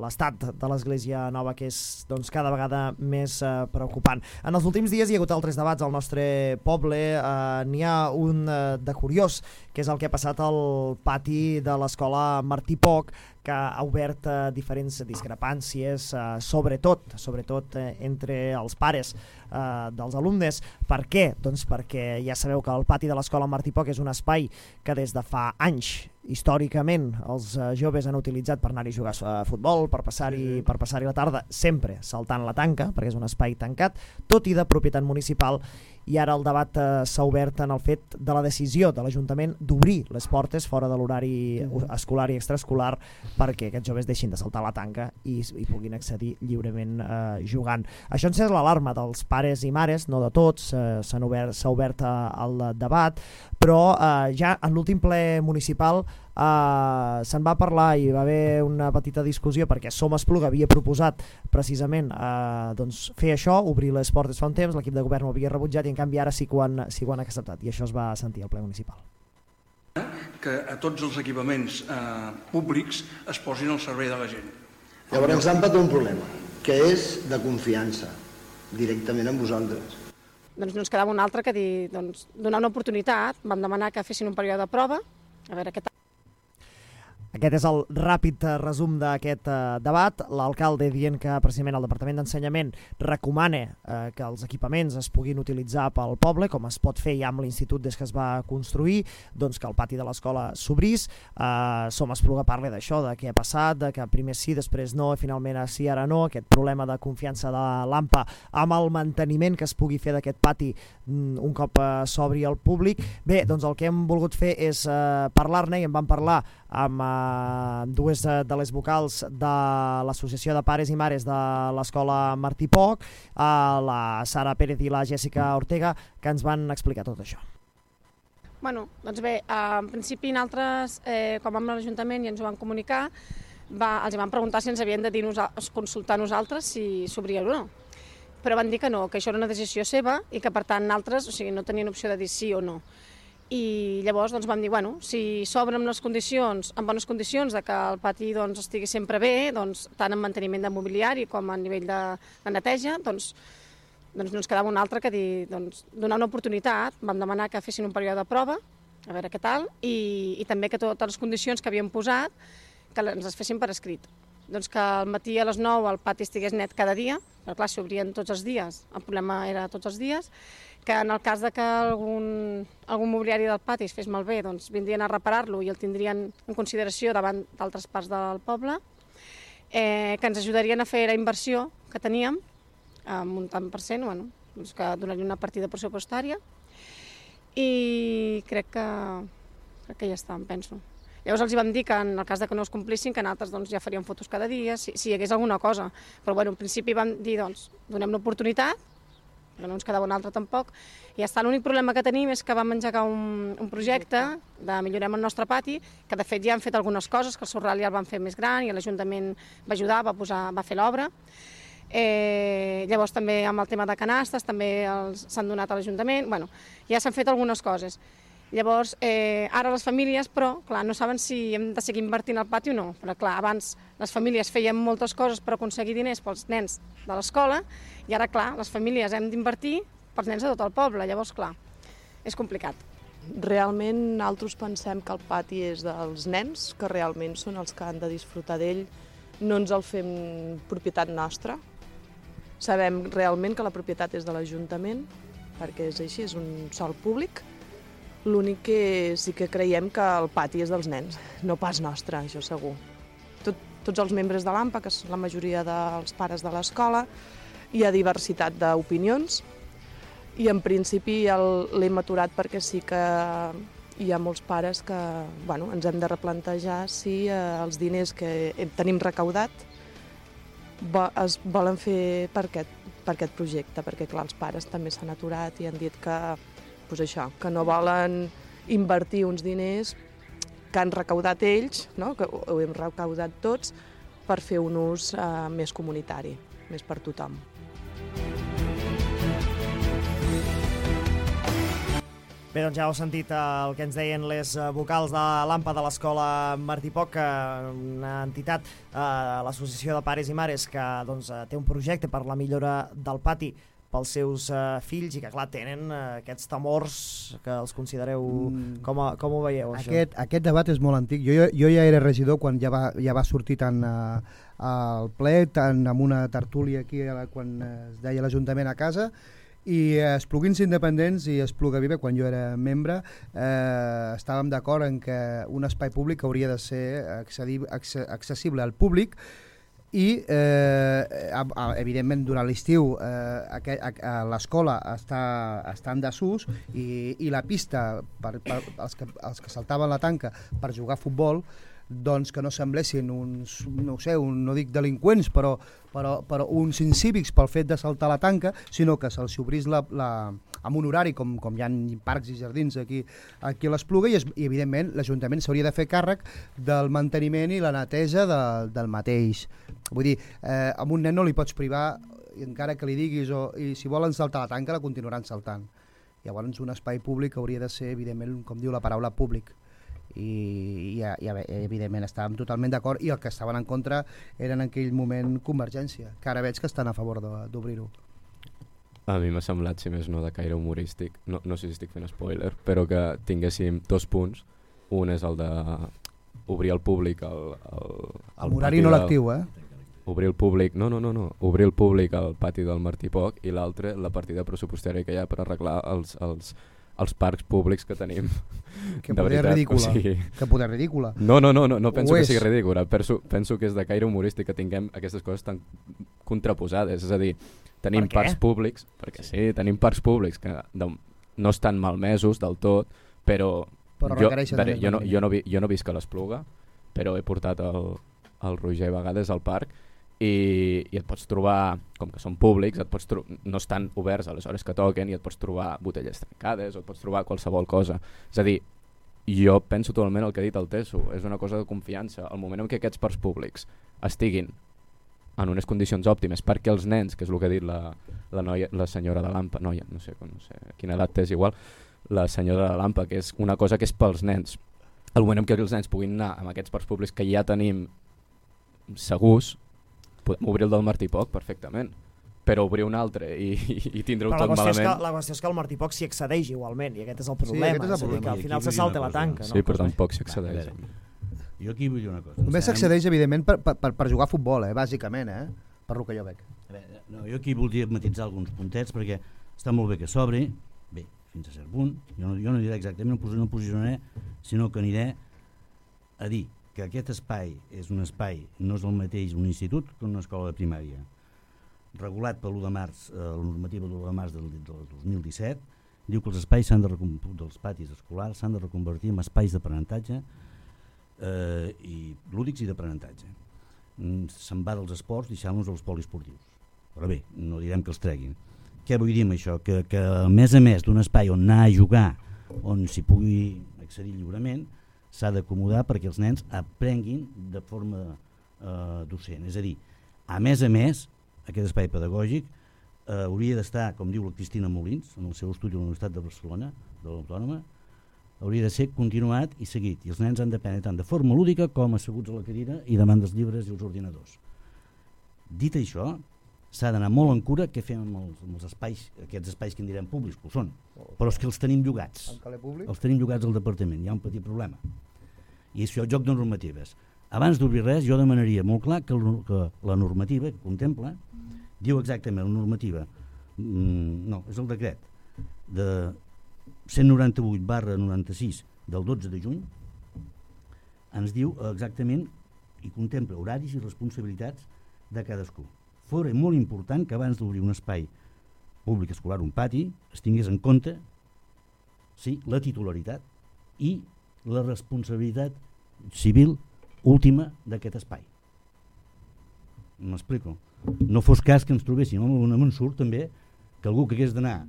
l'estat de l'Església Nova, que és doncs, cada vegada més uh, preocupant. En els últims dies hi ha hagut altres debats al nostre poble, uh, n'hi ha un uh, de curiós, que és el que ha passat al pati de l'escola Martí Poch, que ha obert uh, diferents discrepàncies, uh, sobretot, sobretot uh, entre els pares uh, dels alumnes. Per què? Doncs perquè ja sabeu que el pati de l'escola Martí Poch és un espai que des de fa anys històricament els uh, joves han utilitzat per anar-hi a jugar a futbol, per passar-hi sí, sí. per passar-hi la tarda, sempre saltant la tanca, perquè és un espai tancat, tot i de propietat municipal, i ara el debat uh, s'ha obert en el fet de la decisió de l'Ajuntament d'obrir les portes fora de l'horari uh, escolar i extraescolar perquè aquests joves deixin de saltar la tanca i, i puguin accedir lliurement uh, jugant. Això ens és l'alarma dels pares i mares, no de tots, uh, s'ha obert, s'ha obert uh, el debat, però uh, ja en l'últim ple municipal uh, se'n va parlar i va haver una petita discussió perquè Som Espluga havia proposat precisament uh, doncs, fer això, obrir les portes fa un temps, l'equip de govern ho havia rebutjat i en canvi ara sí que ho han, sí que ho han acceptat i això es va sentir al ple municipal. Que a tots els equipaments eh, públics es posin al servei de la gent. Llavors s'ha empatat un problema, que és de confiança, directament amb vosaltres. Doncs no ens quedava un altre que dir, doncs, donar una oportunitat, vam demanar que fessin un període de prova, a veure què tal. Aquest és el ràpid resum d'aquest uh, debat. L'alcalde dient que precisament el Departament d'Ensenyament recomana uh, que els equipaments es puguin utilitzar pel poble, com es pot fer ja amb l'institut des que es va construir, doncs que el pati de l'escola s'obrís. Uh, Som Espluga parla d'això, de què ha passat, de que primer sí, després no, i finalment sí, ara no, aquest problema de confiança de l'AMPA amb el manteniment que es pugui fer d'aquest pati mm, un cop uh, s'obri al públic. Bé, doncs el que hem volgut fer és uh, parlar-ne i en vam parlar amb uh, dues de les vocals de l'Associació de Pares i Mares de l'Escola Martí Poch, la Sara Pérez i la Jessica Ortega, que ens van explicar tot això. Bueno, doncs bé, en principi nosaltres, eh, quan vam a l'Ajuntament i ens ho van comunicar, va, els van preguntar si ens havien de dir consultar nosaltres si s'obria o no. Però van dir que no, que això era una decisió seva i que per tant nosaltres, o sigui, no tenien opció de dir sí o no. I llavors doncs, vam dir, bueno, si s'obre amb les condicions, en bones condicions, de que el pati doncs, estigui sempre bé, doncs, tant en manteniment de mobiliari com a nivell de, de neteja, doncs, doncs no ens quedava un altre que dir, doncs, donar una oportunitat. Vam demanar que fessin un període de prova, a veure què tal, i, i també que totes les condicions que havíem posat que ens les fessin per escrit. Doncs que al matí a les nou el pati estigués net cada dia, però clar, s'obrien tots els dies, el problema era tots els dies, que en el cas de que algun, algun mobiliari del pati es fes malbé, doncs vindrien a reparar-lo i el tindrien en consideració davant d'altres parts del poble, eh, que ens ajudarien a fer la inversió que teníem, amb un tant per cent, bueno, doncs que donaria una partida pressupostària, i crec que, crec que ja està, em penso. Llavors els hi vam dir que en el cas de que no es complissin, que nosaltres doncs, ja faríem fotos cada dia, si, si hi hagués alguna cosa. Però bueno, en principi vam dir, doncs, donem una oportunitat, que no ens quedava un altre tampoc, i ja està. L'únic problema que tenim és que vam engegar un, un projecte de millorem el nostre pati, que de fet ja han fet algunes coses, que el Sorral ja el van fer més gran i l'Ajuntament va ajudar, va, posar, va fer l'obra. Eh, llavors també amb el tema de canastes també s'han donat a l'Ajuntament, bueno, ja s'han fet algunes coses. Llavors, eh, ara les famílies, però, clar, no saben si hem de seguir invertint al pati o no. Però, clar, abans les famílies feien moltes coses per aconseguir diners pels nens de l'escola i ara, clar, les famílies hem d'invertir pels nens de tot el poble. Llavors, clar, és complicat. Realment, nosaltres pensem que el pati és dels nens, que realment són els que han de disfrutar d'ell. No ens el fem propietat nostra. Sabem realment que la propietat és de l'Ajuntament, perquè és així, és un sòl públic. L'únic que sí que creiem que el pati és dels nens, no pas nostre, això segur. Tot, tots els membres de l'AMPA, que són la majoria dels pares de l'escola, hi ha diversitat d'opinions i en principi l'hem aturat perquè sí que hi ha molts pares que bueno, ens hem de replantejar si eh, els diners que tenim recaudat es volen fer per aquest, per aquest projecte, perquè clar, els pares també s'han aturat i han dit que pues això, que no volen invertir uns diners que han recaudat ells, no? Que ho hem recaudat tots, per fer un ús eh, més comunitari, més per tothom. Bé, doncs ja heu sentit el que ens deien les vocals de l'AMPA de l'Escola Martí Poch, una entitat, eh, l'Associació de Pares i Mares, que doncs, té un projecte per la millora del pati pels seus uh, fills i que, clar, tenen uh, aquests temors que els considereu... Mm. Com, a, com ho veieu, això? Aquest, aquest debat és molt antic. Jo, jo ja era regidor quan ja va, ja va sortir tant uh, al ple, tant amb una tertúlia aquí quan es deia l'Ajuntament a casa, I Espluguins Independents i Esplugaviva, quan jo era membre, eh, estàvem d'acord en que un espai públic hauria de ser accessible al públic i, eh, evidentment, durant l'estiu eh, l'escola està, està en desús i, i la pista, per, per els, que, els que saltaven la tanca per jugar a futbol, doncs que no semblessin uns, no sé, un, no dic delinqüents, però, però, però uns incívics pel fet de saltar la tanca, sinó que se'ls obrís la, la, amb un horari, com, com hi ha parcs i jardins aquí, aquí a l'Espluga, i, es, i evidentment l'Ajuntament s'hauria de fer càrrec del manteniment i la neteja de, del mateix. Vull dir, eh, amb un nen no li pots privar, encara que li diguis, o, i si volen saltar la tanca la continuaran saltant. Llavors un espai públic hauria de ser, evidentment, com diu la paraula, públic. I, i, i evidentment estàvem totalment d'acord, i el que estaven en contra era en aquell moment Convergència, que ara veig que estan a favor d'obrir-ho. A mi m'ha semblat, si més no, de caire humorístic, no, no sé si estic fent spoiler, però que tinguéssim dos punts. Un és el de obrir al públic el, el, el horari no lectiu, eh? Obrir el públic, no, no, no, no, obrir el públic al pati del Martí Poc, i l'altre, la partida pressupostària que hi ha per arreglar els, els, els parcs públics que tenim. Que poder ridícula. O sigui... Que poder ridícula. No, no, no, no, no penso que sigui ridícula. Penso, penso que és de caire humorístic que tinguem aquestes coses tan contraposades. És a dir, tenim per parcs públics, perquè sí, tenim parcs públics que no estan malmesos del tot, però, però jo, veure, jo, no, jo, no, jo no visc a l'Espluga, però he portat el, el Roger a vegades al parc, I, i et pots trobar, com que són públics, et pots no estan oberts a les hores que toquen, i et pots trobar botelles trencades o et pots trobar qualsevol cosa. És a dir, jo penso totalment el que ha dit el Teso, és una cosa de confiança. El moment en què aquests parcs públics estiguin en unes condicions òptimes perquè els nens, que és el que ha dit la, la, noia, la senyora de l'Ampa, noia, no sé, no sé quina edat té, és igual, la senyora de l'Ampa, que és una cosa que és pels nens. El moment en què els nens puguin anar amb aquests parcs públics que ja tenim segurs, podem obrir el del Martí Poc perfectament, però obrir un altre i, i, i tindre-ho tot malament... Que, la qüestió és que el Martí Poc s'hi accedeix igualment, i aquest és el problema, sí, és el problema. Que al final se salta la tanca. Sí, no? Però tampoc s'hi accedeix. Jo aquí vull dir una cosa. Només s'accedeix, evidentment, per, per, per jugar a futbol, eh, bàsicament, eh? Per lo que jo veig. Veure, no, jo aquí voldria matitzar alguns puntets, perquè està molt bé que s'obri, bé, fins a cert punt, jo no, jo no diré exactament, no posicionaré, sinó que aniré a dir que aquest espai és un espai, no és el mateix un institut que una escola de primària. Regulat per l'u de març, eh, la normativa de l'u de març del, del dos mil disset, diu que els espais s'han de dels patis escolars s'han de reconvertir en espais d'aprenentatge eh, i lúdics i d'aprenentatge. Mm, se'n va dels esports deixant-los als poliesportius. Però bé, no direm que els treguin. Què vull dir amb això? Que, que a més a més d'un espai on anar a jugar, on s'hi pugui accedir lliurement, s'ha d'acomodar perquè els nens aprenguin de forma eh, docent. És a dir, a més a més, aquest espai pedagògic eh, hauria d'estar, com diu la Cristina Molins, en el seu estudi a la Universitat de Barcelona, de l'Autònoma, hauria de ser continuat i seguit, i els nens han d'aprendre tant de forma lúdica com asseguts a la cadira i davant dels llibres i els ordinadors. Dit això, s'ha d'anar molt en cura què fem amb els, amb els espais, aquests espais que en direm públics, que ho són, però és que els tenim llogats. Els tenim llogats al departament, hi ha un petit problema. I això, joc de normatives. Abans d'obrir res, jo demanaria molt clar que, el, que la normativa que contempla diu exactament la normativa, mm, no, és el decret de cent noranta-vuit barra noranta-sis del dotze de juny, ens diu exactament i contempla horaris i responsabilitats de cadascú. Fora molt important que abans d'obrir un espai públic escolar, un pati, es tingués en compte sí, la titularitat i la responsabilitat civil última d'aquest espai. M'explico. No fos cas que ens trobéssim amb un ensurt també que algú que hagués d'anar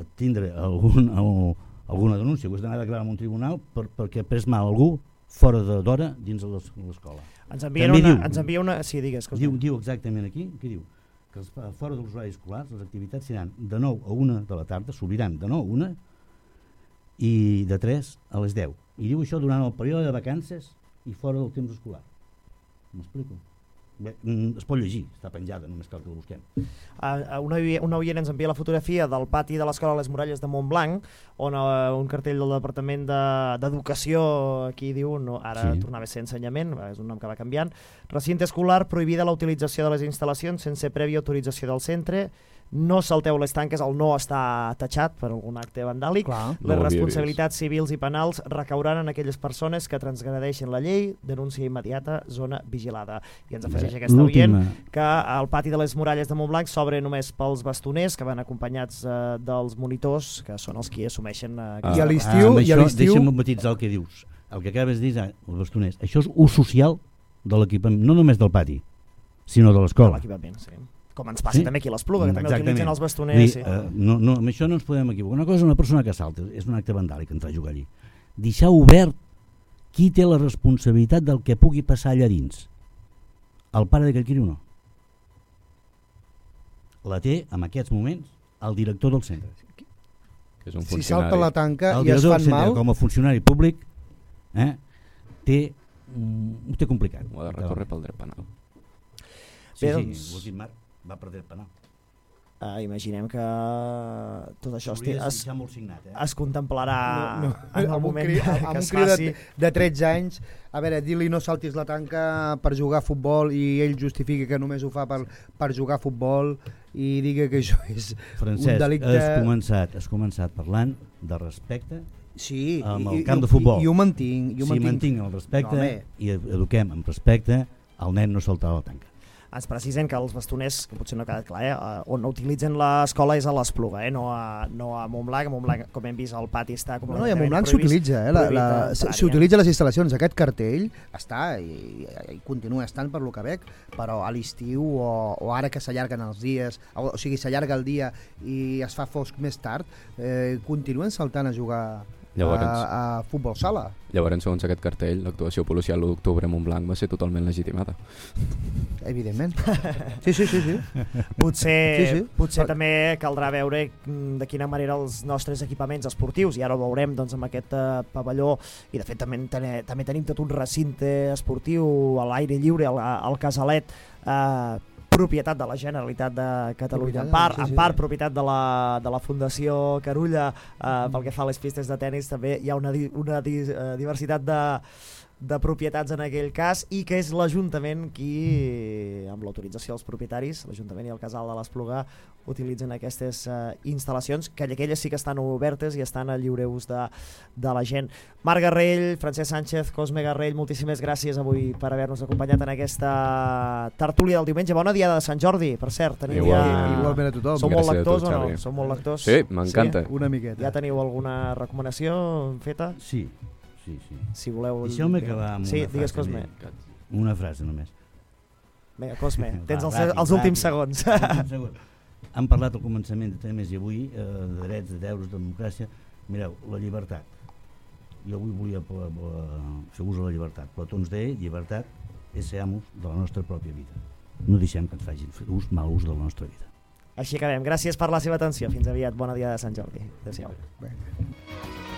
a tindre algun, alguna denúncia, que hagués d'anar a declarar en un tribunal per, perquè ha pres mal algú fora d'hora dins de l'escola. Ens envia una, diu, ens envia una... Sí, digues. Diu, diu exactament aquí, que diu que fora dels horaris escolars les activitats seran de nou a una de la tarda, s'obriran de nou a una i de tres a les deu. I diu això durant el període de vacances i fora del temps escolar. M'explico? Bé, es pot llegir, està penjada, només cal que el busquem. Uh, una, una oient ens envia la fotografia del pati de l'Escola Les Muralles de Montblanc, on uh, un cartell del Departament d'Educació, de, aquí diu, no, ara sí. Tornava a ser ensenyament, és un nom que va canviant, recinte escolar, prohibida la utilització de les instal·lacions sense prèvia autorització del centre, no salteu les tanques, el no està tatxat per algun acte vandàlic. Clar. Les No ho havia responsabilitats civils i penals recauran en aquelles persones que transgredeixen la llei, denúncia immediata, zona vigilada. I ens afegeix aquesta oient que el pati de les muralles de Montblanc s'obre només pels bastoners que van acompanyats eh, dels monitors, que són els qui assumeixen... Eh, ah, I a l'estiu... Ah, deixa'm matitzar el que dius. El que acabes de dir, els bastoners, això és ús social de l'equipament, no només del pati, sinó de l'escola. De l'equipament, sí. Com ens passa sí? també aquí a l'Espluga, que Exactament. també utilitzen els bastoners. Dir, Sí. uh, no, no, amb això no ens podem equivocar. Una cosa és una persona que salta, és un acte vandàlic entrar a jugar allí. Deixar obert qui té la responsabilitat del que pugui passar allà dins. El pare d'aquell criu no. La té, en aquests moments, el director del centre. Que és un si salta la tanca el i es fan centre, mal... com a funcionari públic, eh, té, mm, ho té complicat. Ho ha de recórrer pel dret penal. Sí, Bé, sí, doncs... l'últim marc va per dret penal. Uh, imaginem que tot això es, S'hauria de es, deixar molt signat, eh? es contemplarà No, no. en el Amb un moment cri, que amb un es cri de, faci. de tretze anys, a veure, dir-li no saltis la tanca per jugar a futbol i ell justifica que només ho fa per, per jugar a futbol i diga que això és Francesc, un delicte... has començat, has començat parlant de respecte sí, amb i, el camp i, de futbol. I, i ho mantinc. I ho si mantinc. mantinc el respecte no, i eduquem amb respecte, el nen no saltarà la tanca. Ens precisen que els bastoners, que potser no ha quedat clar, eh, on utilitzen l'escola és a l'Espluga, eh, no, a, no a Montblanc. A Montblanc, com hem vist, el pati està No, no, i a completament Montblanc prohibit, s'utilitza, eh, la, la, prohibit s'utilitza les instal·lacions. Aquest cartell està i, i continua estant per lo que veig, però a l'estiu o, o ara que s'allarguen els dies, o, o sigui, s'allarga el dia i es fa fosc més tard, eh, continuen saltant a jugar Llavors, a, a futbol sala. Llavors, segons aquest cartell, l'actuació policial l'u d'octubre a Montblanc va ser totalment legitimada. Evidentment. Sí, sí, sí. sí. Potser, sí, sí. potser Però... també caldrà veure de quina manera els nostres equipaments esportius, i ara ho veurem doncs, amb aquest uh, pavelló, i de fet també, ten també tenim tot un recinte esportiu a l'aire lliure, al, al Casalet, uh, propietat de la Generalitat de Catalunya, en part, en part propietat de la, de la Fundació Carulla, eh, pel que fa a les pistes de tennis també hi ha una, di, una di, uh, diversitat de, de propietats en aquell cas, i que és l'Ajuntament qui, amb l'autorització dels propietaris, l'Ajuntament i el Casal de l'Espluga, utilitzen aquestes uh, instal·lacions, que aquelles sí que estan obertes i estan a lliure ús de, de la gent. Marc Garrell, Francesc Sánchez, Cosme Garrell, moltíssimes gràcies avui per haver-nos acompanyat en aquesta tertúlia del diumenge. Bona diada de Sant Jordi, per cert. Teniu Igual, ja... Igualment a tothom. Sou molt Gràcies lectors a tu, o no? Xavi. Sou molt lectors? Sí, m'encanta. Sí, una miqueta. Ja teniu alguna recomanació feta? Sí, sí, sí. Si voleu... Deixeu-me acabar amb sí, una digues, frase. Cosme. Una frase només. Vinga, Cosme, tens Va, els, ràpid, els últims ràpid. segons. Els últims segons. Han parlat al començament de temes i avui, eh, de drets, de deures, de democràcia. Mireu, la llibertat. Jo avui volia fer-vos la llibertat. Plató ens deia, llibertat és ser amos de la nostra pròpia vida. No deixem que ens facin ús, mal ús de la nostra vida. Així acabem. Gràcies per la seva atenció. Fins aviat. Bona dia de Sant Jordi. Adéu-siau. Vinga.